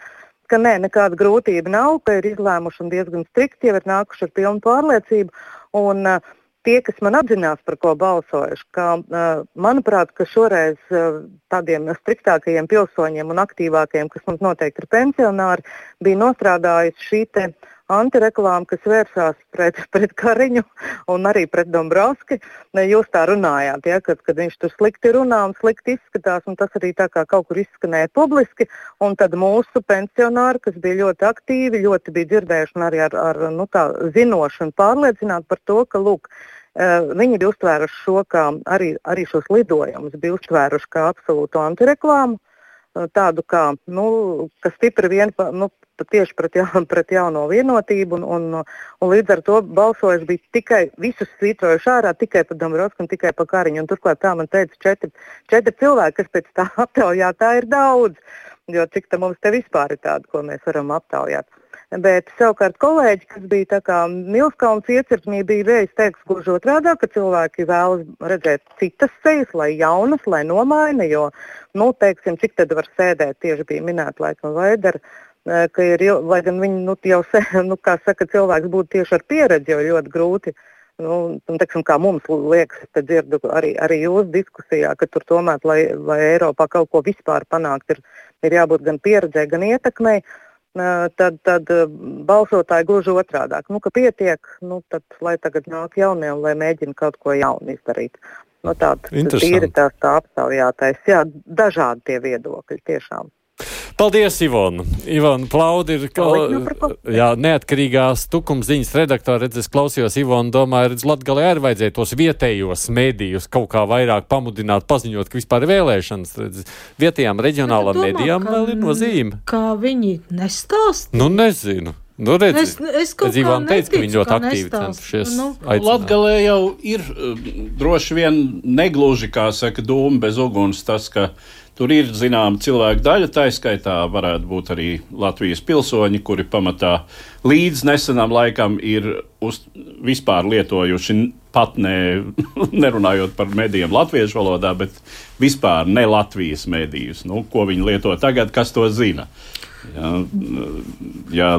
ka nē, nekāda grūtība nav, ka ir izlēmuši un diezgan strikti, jau ir nākuši ar pilnu pārliecību. Un, uh, Tie, kas man apzinās, par ko balsojuši, ka, uh, manuprāt, ka šoreiz uh, tādiem striktākajiem pilsoņiem un aktīvākajiem, kas mums noteikti ir pensionāri, bija nostrādājusi šī te antireklāma, kas vērsās pret, pret Kariņu un arī pret Dombrovski. Jūs tā runājāt, ja, kad, kad viņš tur slikti runā un slikti izskatās, un tas arī tā kā kaut kur izskanēja publiski, un tad mūsu pensionāri, kas bija ļoti aktīvi, ļoti bija dzirdējuši un arī ar, ar nu, tā, zinoši un pārliecināti par to, ka, lūk, viņi bija uztvēruši šo, kā arī, arī šos lidojumus, bija uztvēruši kā absolūtu antireklāmu, tādu kā, nu, kas stipri vien, nu, tieši pret, ja, pret jauno vienotību, un, un, un līdz ar to balsojuši bija tikai, visus svītrojuši ārā, tikai par Dombrovsku un tikai par Kariņu, un turklāt tā man teica četri, četri cilvēki, kas pēc tā aptaujā, tā ir daudz, jo cik tā mums te vispār ir tāda, ko mēs varam aptaujāt. Bet savukārt kolēģi, kas bija tā kā Milskalns iecirknī, bija reiz teiks gluži otrādā, ka cilvēki vēlas redzēt citas sejas, lai jaunas, lai nomaina, jo, nu, teiksim, cik tad var sēdēt, tieši bija minēta laikam Vaidara, ka ir, lai gan viņi, nu, jau, nu, kā saka, cilvēks būtu tieši ar pieredzi, jo ļoti grūti, nu, un, teiksim, kā mums liekas, te dzirdu arī, arī jūsu diskusijā, ka tur tomēr, lai, lai Eiropā kaut ko vispār panākt, ir, ir jābūt gan pieredzē, gan ietekmei. Tad, tad balsotāji gluži otrādāk. Nu, ka pietiek, nu, tad lai tagad nāk jaunie un lai mēģina kaut ko jaunu izdarīt. Nu, tāda tīri tās tā aptaujātais. Jā, dažādi tie viedokļi tiešām. Paldies, Ivona. Ivona Plaudi ir jā, neatkarīgās Tukumziņas redaktora. Redz, es klausījos Ivona, domāju, redz, Latgalē arī vajadzēja tos vietējos mēdījus kaut kā vairāk pamudināt, paziņot, ka vispār ir vēlēšanas. Redz, vietējām reģionālām mēdījām vēl ir nozīme. Kā viņi nestāst? Nu, nezinu. Nu, redzi, es, es kaut kā neticu, teica, ka viņi ļoti aktīvi centušies nu. aicināt. Latgalē jau ir droši vien negluži, kā saka, dūma bez uguns tas, ka tur ir zinām cilvēku daļa, tā skaitā varētu būt arī Latvijas pilsoņi, kuri pamatā līdz nesenam laikam ir uz, vispār lietojuši pat ne, nerunājot par medijiem latviešu valodā, bet vispār ne Latvijas medijus. Nu, ko viņi lieto tagad, kas to zina? Jā, jā,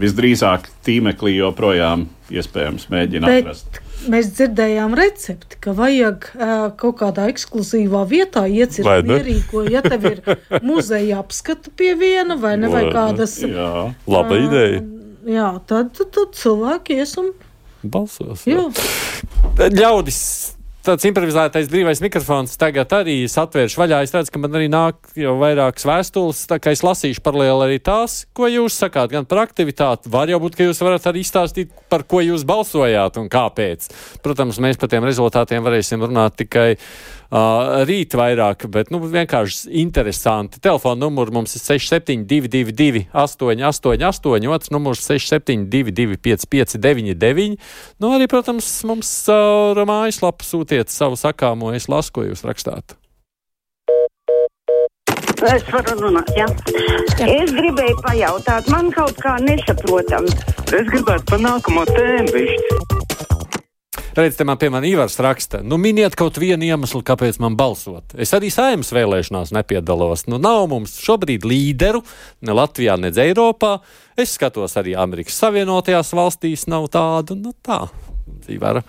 visdrīzāk tīmeklī joprojām iespējams mēģina bet atrast. Mēs dzirdējām recepti, ka vajag uh, kaut kādā ekskluzīvā vietā iecirkt mierīgo, ja tev ir muzeja apskata pie viena vai ne, vai kādas... Jā, laba uh, ideja. Jā, tad, tad, tad cilvēki ies un... balsos. Jā. Jā. Ļaudis, tāds improvizētais brīvais mikrofons tagad arī es atvēršu vaļā. Es redzu, ka man arī nāk jau vairākas vēstules, tā kā es lasīšu paralēli arī tās, ko jūs sakāt, gan par aktivitāti. Var jau būt, ka jūs varat arī izstāstīt, par ko jūs balsojāt un kāpēc. Protams, mēs par tiem rezultātiem varēsim runāt tikai uh, rīt vairāk, bet nu, vienkārši interesanti. Telefona numurs mums ir seši septiņi divi divi divi astoņi astoņi astoņi, otrs numurs seši septiņi divi divi pieci pieci deviņi deviņi. Nu, arī, protams, mums caur uh, mājaslapu sūtiet savu sakāmo, es lasu, ko jūs rakstāt. Es varu runāt, jā. Es gribēju pajautāt, man kaut kā nesaprotam. Es gribētu par nākamo tēmu bišķi. Redz, te man pie man Ivars raksta, nu miniet kaut vienu iemeslu, kāpēc man balsot. Es arī Saeimas vēlēšanās nepiedalos. Nu nav mums šobrīd līderu, ne Latvijā, ne Eiropā. Es skatos arī Amerikas Savienotajās valstīs nav tādu, nu tā. Ivara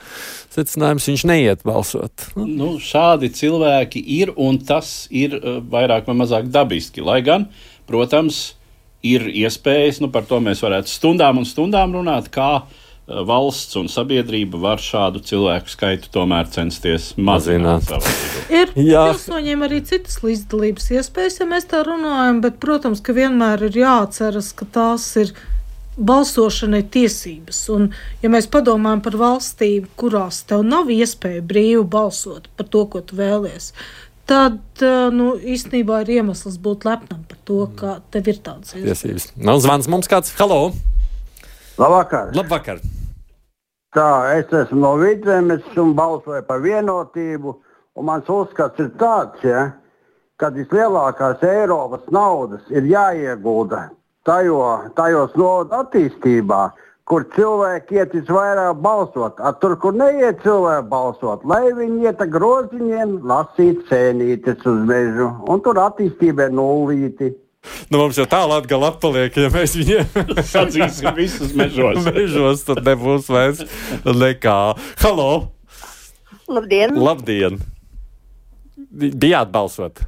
secinājums, viņš neiet balsot. Nu. Nu, šādi cilvēki ir, un tas ir uh, vairāk vai mazāk dabiski. Lai gan, protams, ir iespējas, nu par to mēs varētu stundām un stundām runāt, kā uh, valsts un sabiedrība var šādu cilvēku skaitu tomēr censties mazināt. Ir pilsoņiem arī citas līdzdalības iespējas, ja mēs tā runājam, bet, protams, ka vienmēr ir jāatceras, ka tās ir balsošanai tiesības. Un, ja mēs padomājam par valstīm, kurās tev nav iespēja brīvi balsot par to, ko tu vēlies, tad, nu, īstenībā ir iemesls būt lepnam par to, ka tev ir tādas tiesības. Nav zvans mums kāds. Halo! Labvakar! Labvakar! Tā, es esmu no Vidzemes un balsoju par vienotību, un mans uzskats ir tāds, ja, ka vislielākās Eiropas naudas ir jāiegulda Tajo, tajos nodu attīstībā, kur cilvēki iet visvairāk balsot. A, tur, kur neiet cilvēki balsot, lai viņi iet ar groziņiem, lasīt cēnītes uz mežu. Un tur attīstība ir nullīti. Nu, mums jau tā Latgala atpaliek, ja mēs viņiem sadzīsim visus mežos. mežos, tad nebūs vairs nekā. Halo! Labdien! Labdien! Bijāt balsot?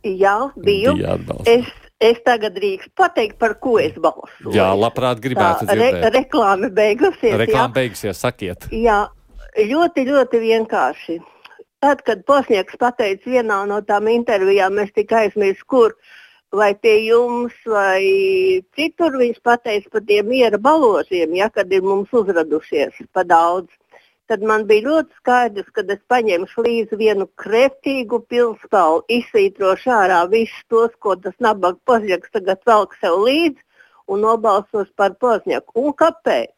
Jā, biju. Bijāt balsot. Es Es tagad drīkstu pateikt, par ko es balsoju. Jā, labprāt gribētu Tā, dzirdēt. Re, reklāma beigusies. Reklāma beigusies, sakiet. Jā, ļoti, ļoti vienkārši. Tad, kad Posnieks pateica vienā no tām intervijām, es tikai aizmirsu, kur, vai pie jums, vai citur, viņš pateica par tiem miera balosiem, ja, kad ir mums uzradušies pa daudz. Tad man bija ļoti skaidrs, ka es paņemšu līdzi vienu kreftīgu pilspālu, izsītrošu ārā visus tos, ko tas nabaga Pozņaks tagad velk sev līdzi un nobalsos par Pozņaku. Un kāpēc?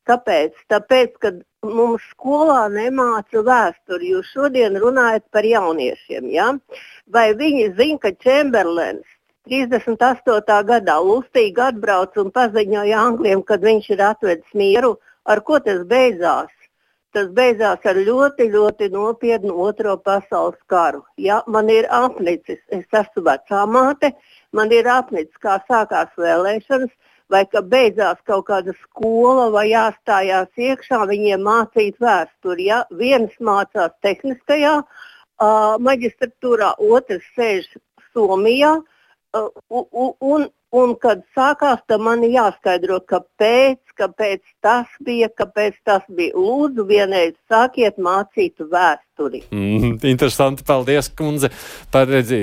Kāpēc? Tāpēc, ka mums skolā nemāca vēsturi. Jūs šodien runājat par jauniešiem, ja? Vai viņi zina, ka Čemberlens trīsdesmit astotā gadā lustīgi atbrauca un paziņoja Angļiem, kad viņš ir atvedis mieru, ar ko tas beidzās? Tas beidzās ar ļoti, ļoti nopietnu otro pasaules karu. Ja, man ir apnicis, es esmu vecā māte, man ir apnicis, kā sākās vēlēšanas, vai ka beidzās kaut kāda skola vai jāstājās iekšā, viņiem mācīt vēsturi. Ja. Viens mācās tehniskajā uh, maģistratūrā, otrs sēž Somijā, uh, un, un, un kad sākās, tad man jāskaidro, kāpēc, kāpēc tas bija, kāpēc tas bija. Lūdzu, vienreiz sākiet mācīt vēsturi. Mm, interesanti, paldies, kundze, par redzi,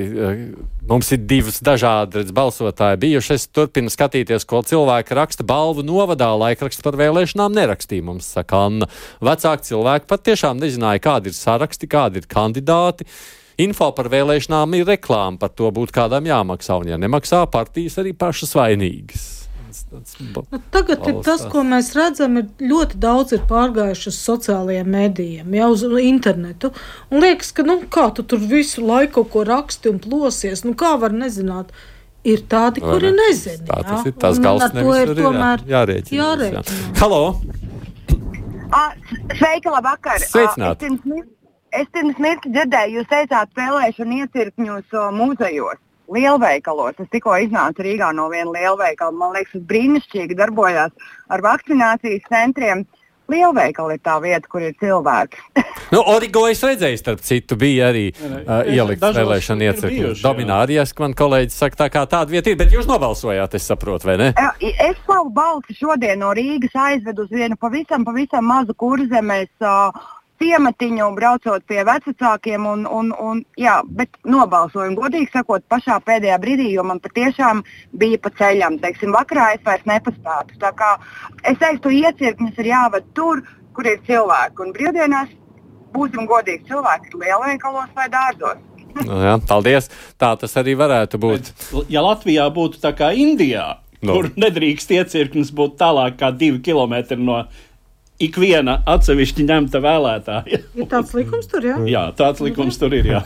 mums ir divas dažādi redz, balsotāji bijuši. Es turpinu skatīties, ko cilvēki raksta balvu novadā, laikraksts par vēlēšanām nerakstīja, mums saka Anna. Vecāki cilvēki pat tiešām nezināja, kādi ir saraksti, kādi ir kandidāti. Info par vēlēšanām ir reklāma, par to būtu kādam jāmaksā, un ja nemaksā, partijas arī pašas vainīgas. tāds, tāds nu, tagad balstās. Ir tas, ko mēs redzam, ir ļoti daudz ir pārgājuši uz sociālajiem medijiem, jau uz internetu. Un liekas, ka, nu, kā tu tur visu laiku kaut ko raksti un plosies, nu, kā var nezināt? Ir tādi, vai kuri ne? nezina. Tā tas ir, tās gals nevis ir tomēr jārēķinās. jārēķinās. Jā. Halo! A, sveika, labvakar! Sveicināt! A, es pirms, es pirms mirkli dzirdēju, jūs teicāt vēlēšanu iecirkņos muzejos, lielveikalos. Es tikko iznācu Rīgā no viena lielveikala. Man liekas, tas brīnišķīgi darbojās ar vakcinācijas centriem. Lielveikali ir tā vieta, kur ir cilvēki. Nu, Origo es redzēju, starp citu, bija arī uh, ielikts vēlēšana iecirkņos. Dominārijas, man kolēģis saka, tā kā tāda vieta ir, bet jūs nobalsojāt, es saprotu, vai ne? Es savu balsi šodien no Rīgas aizvedu uz vienu pavisam, pavisam mazu kurzemes uh, ciematiņu, braucot pie vecākiem, un, un, un, jā, bet nobalsoju, godīgi sakot, pašā pēdējā brīdī, jo man patiešām bija pa ceļam. Teiksim, vakarā es vairs nepaspētu. Tā kā es teiktu, iecirknis ir jāved tur, kur ir cilvēki, un brīvdienās būsim godīgi, cilvēki ir lielveikalos vai dārzos. Nu, jā, paldies. Tā tas arī varētu būt. Bet, ja Latvijā būtu tā kā Indijā, no. kur nedrīkst iecirknis būt tālāk kā divi kilometri no ikviena atsevišķi ņemta vēlētāja. Ir tāds likums tur, jā? Jā, tāds likums tur ir, jā.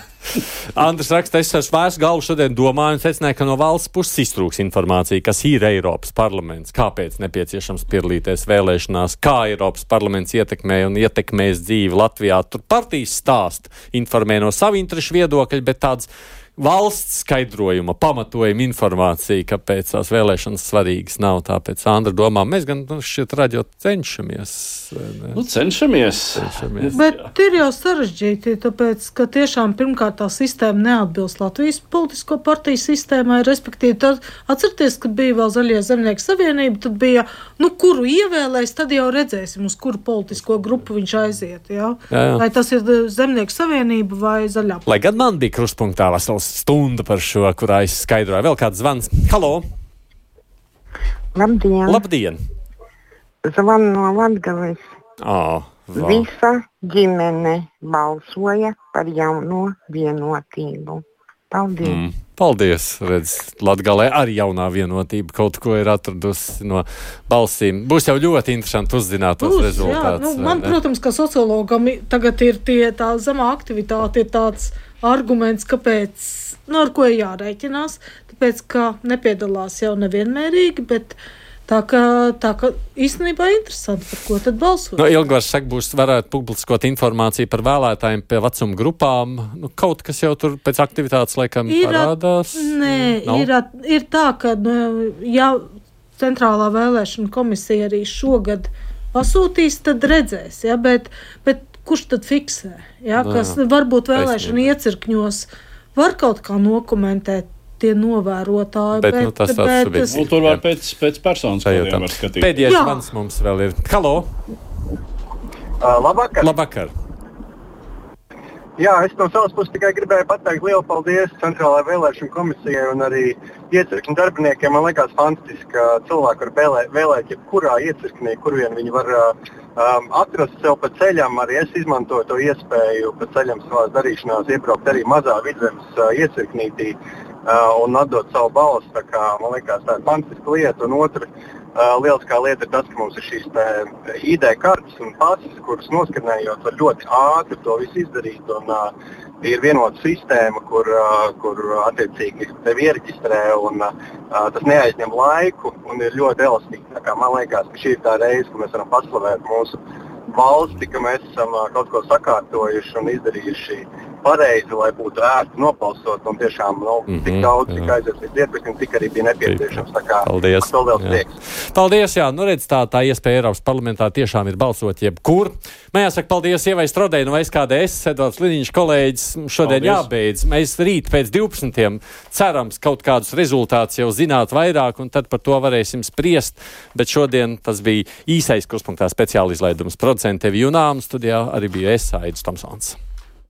Andris raksta, es ar svērstu galvu šodien domāju un secināju, ka no valsts puses iztrūks informācija, kas ir Eiropas parlaments, kāpēc nepieciešams piedalīties vēlēšanās, kā Eiropas parlaments ietekmē un ietekmēs dzīvi Latvijā. Tur partijas stāst, informē no savu interešu viedokļu, bet tāds valsts skaidrojuma, pamatojuma informācija, kāpēc tās vēlēšanas svarīgas nav. Tāpēc Andra domā, mēs gan nu, šeit raģot cenšamies. Nu, cenšamies. cenšamies. Bet jā. Ir jau sarežģīti, tāpēc, ka tiešām pirmkārt tā sistēma neatbilst Latvijas politisko partiju sistēmai, respektīvi, tad atcerieties, kad bija vēl Zaļie zemnieku savienība, tad bija, nu, kuru ievēlēs, tad jau redzēsim, uz kuru politisko grupu viņš aiziet, jā? Jā, jā. Vai tas ir Zemnieku savienība vai Zaļā. Lai gan man bija krustpunktā vesels stunda par šo, kurā es skaidroju. Vēl kāds zvans. Halo! Labdien! Labdien! Zvanu no Latgales. Oh, Visa ģimene balsoja par jauno vienotību. Paldies! Mm, paldies! Redz, Latgalē arī jaunā vienotība kaut ko ir atradusi no balsīm. Būs jau ļoti interesanti uzzināt tos Būs, rezultātus. Jā, nu, man, protams, ka sociologam tagad ir tie, tā zemā aktivitāte, ir tāds arguments, kāpēc, nu, ar ko ir jārēķinās, tāpēc, ka nepiedalās jau nevienmērīgi, bet tā, ka, tā, ka īstenībā interesanti, par ko tad balsot. No, Ilgvars saka, būs varētu publiskot informāciju par vēlētājiem pie vecuma grupām, nu, kaut kas jau tur pēc aktivitātes laikam ir parādās. At, nē, ir, at, ir tā, ka, nu, ja Centrālā vēlēšana komisija arī šogad pasūtīs, tad redzēs, ja, bet, bet kurš tad fiksē, ja, kas jā, varbūt vēlēšana iecirkņos var kaut kā nokomentēt tie novērotāji. Bet, bet, nu, tas bet, bet, tas, nu, tur var pēc, pēc personas kodiem var skatīt. Pēdējais zvans mums vēl ir. Halo! Uh, labvakar! Labvakar! Jā, es no savas puses tikai gribēju pateikt lielu paldies Centrālajai vēlēšanu komisijai un arī iecirkņu darbiniekiem. Man liekas fantastiski, ka cilvēki var vēlēt, vēlēt jebkurā iecirknī, kur vien viņi var um, atrast sev pa ceļam. Arī es izmantoju to iespēju pa ceļam savās darīšanās iebraukt arī mazā Vidzemes uh, iecirknītī uh, un atdot savu balsu. Tā kā, man liekas, tā ir fantastiska lieta. Un otra uh, lieliskā lieta ir tas, ka mums ir šīs I D kartes un pases, kuras noskanējot var ļoti ātri to visu izdarīt. Un, uh, ir vienota sistēma, kur, uh, kur attiecīgi tevi iereģistrē un uh, tas neaizņem laiku un ir ļoti elastīgi. Tā kā man liekas, ka šī ir tā reize, ka mēs varam paslavēt mūsu valsti, ka mēs esam uh, kaut ko sakārtojuši un izdarījuši pareizi, lai būtu ērti nobalsot un tiešām nu, mm-hmm, tik daudz, cik aizies līdz iepirknim, tik arī bija nepieciešams. Tā kā paldies. Vēl liels prieks. Paldies, jā. Nu redz, tā, tā iespēja Eiropas parlamentā tiešām ir balsot jebkur. Man jāsaka paldies Ievai Strodei no S K D S, Edvards Liniņš kolēģis. Šodien paldies. Jābeidz. Mēs rīt pēc divpadsmitiem cerams kaut kādus rezultātus jau zināt vairāk un tad par to varēsim spriest. Bet šodien tas bija īsais Kruspunktā speciāla izlaidums. Producente Evi Junām, studijā arī bija es, Aidis Tomsons.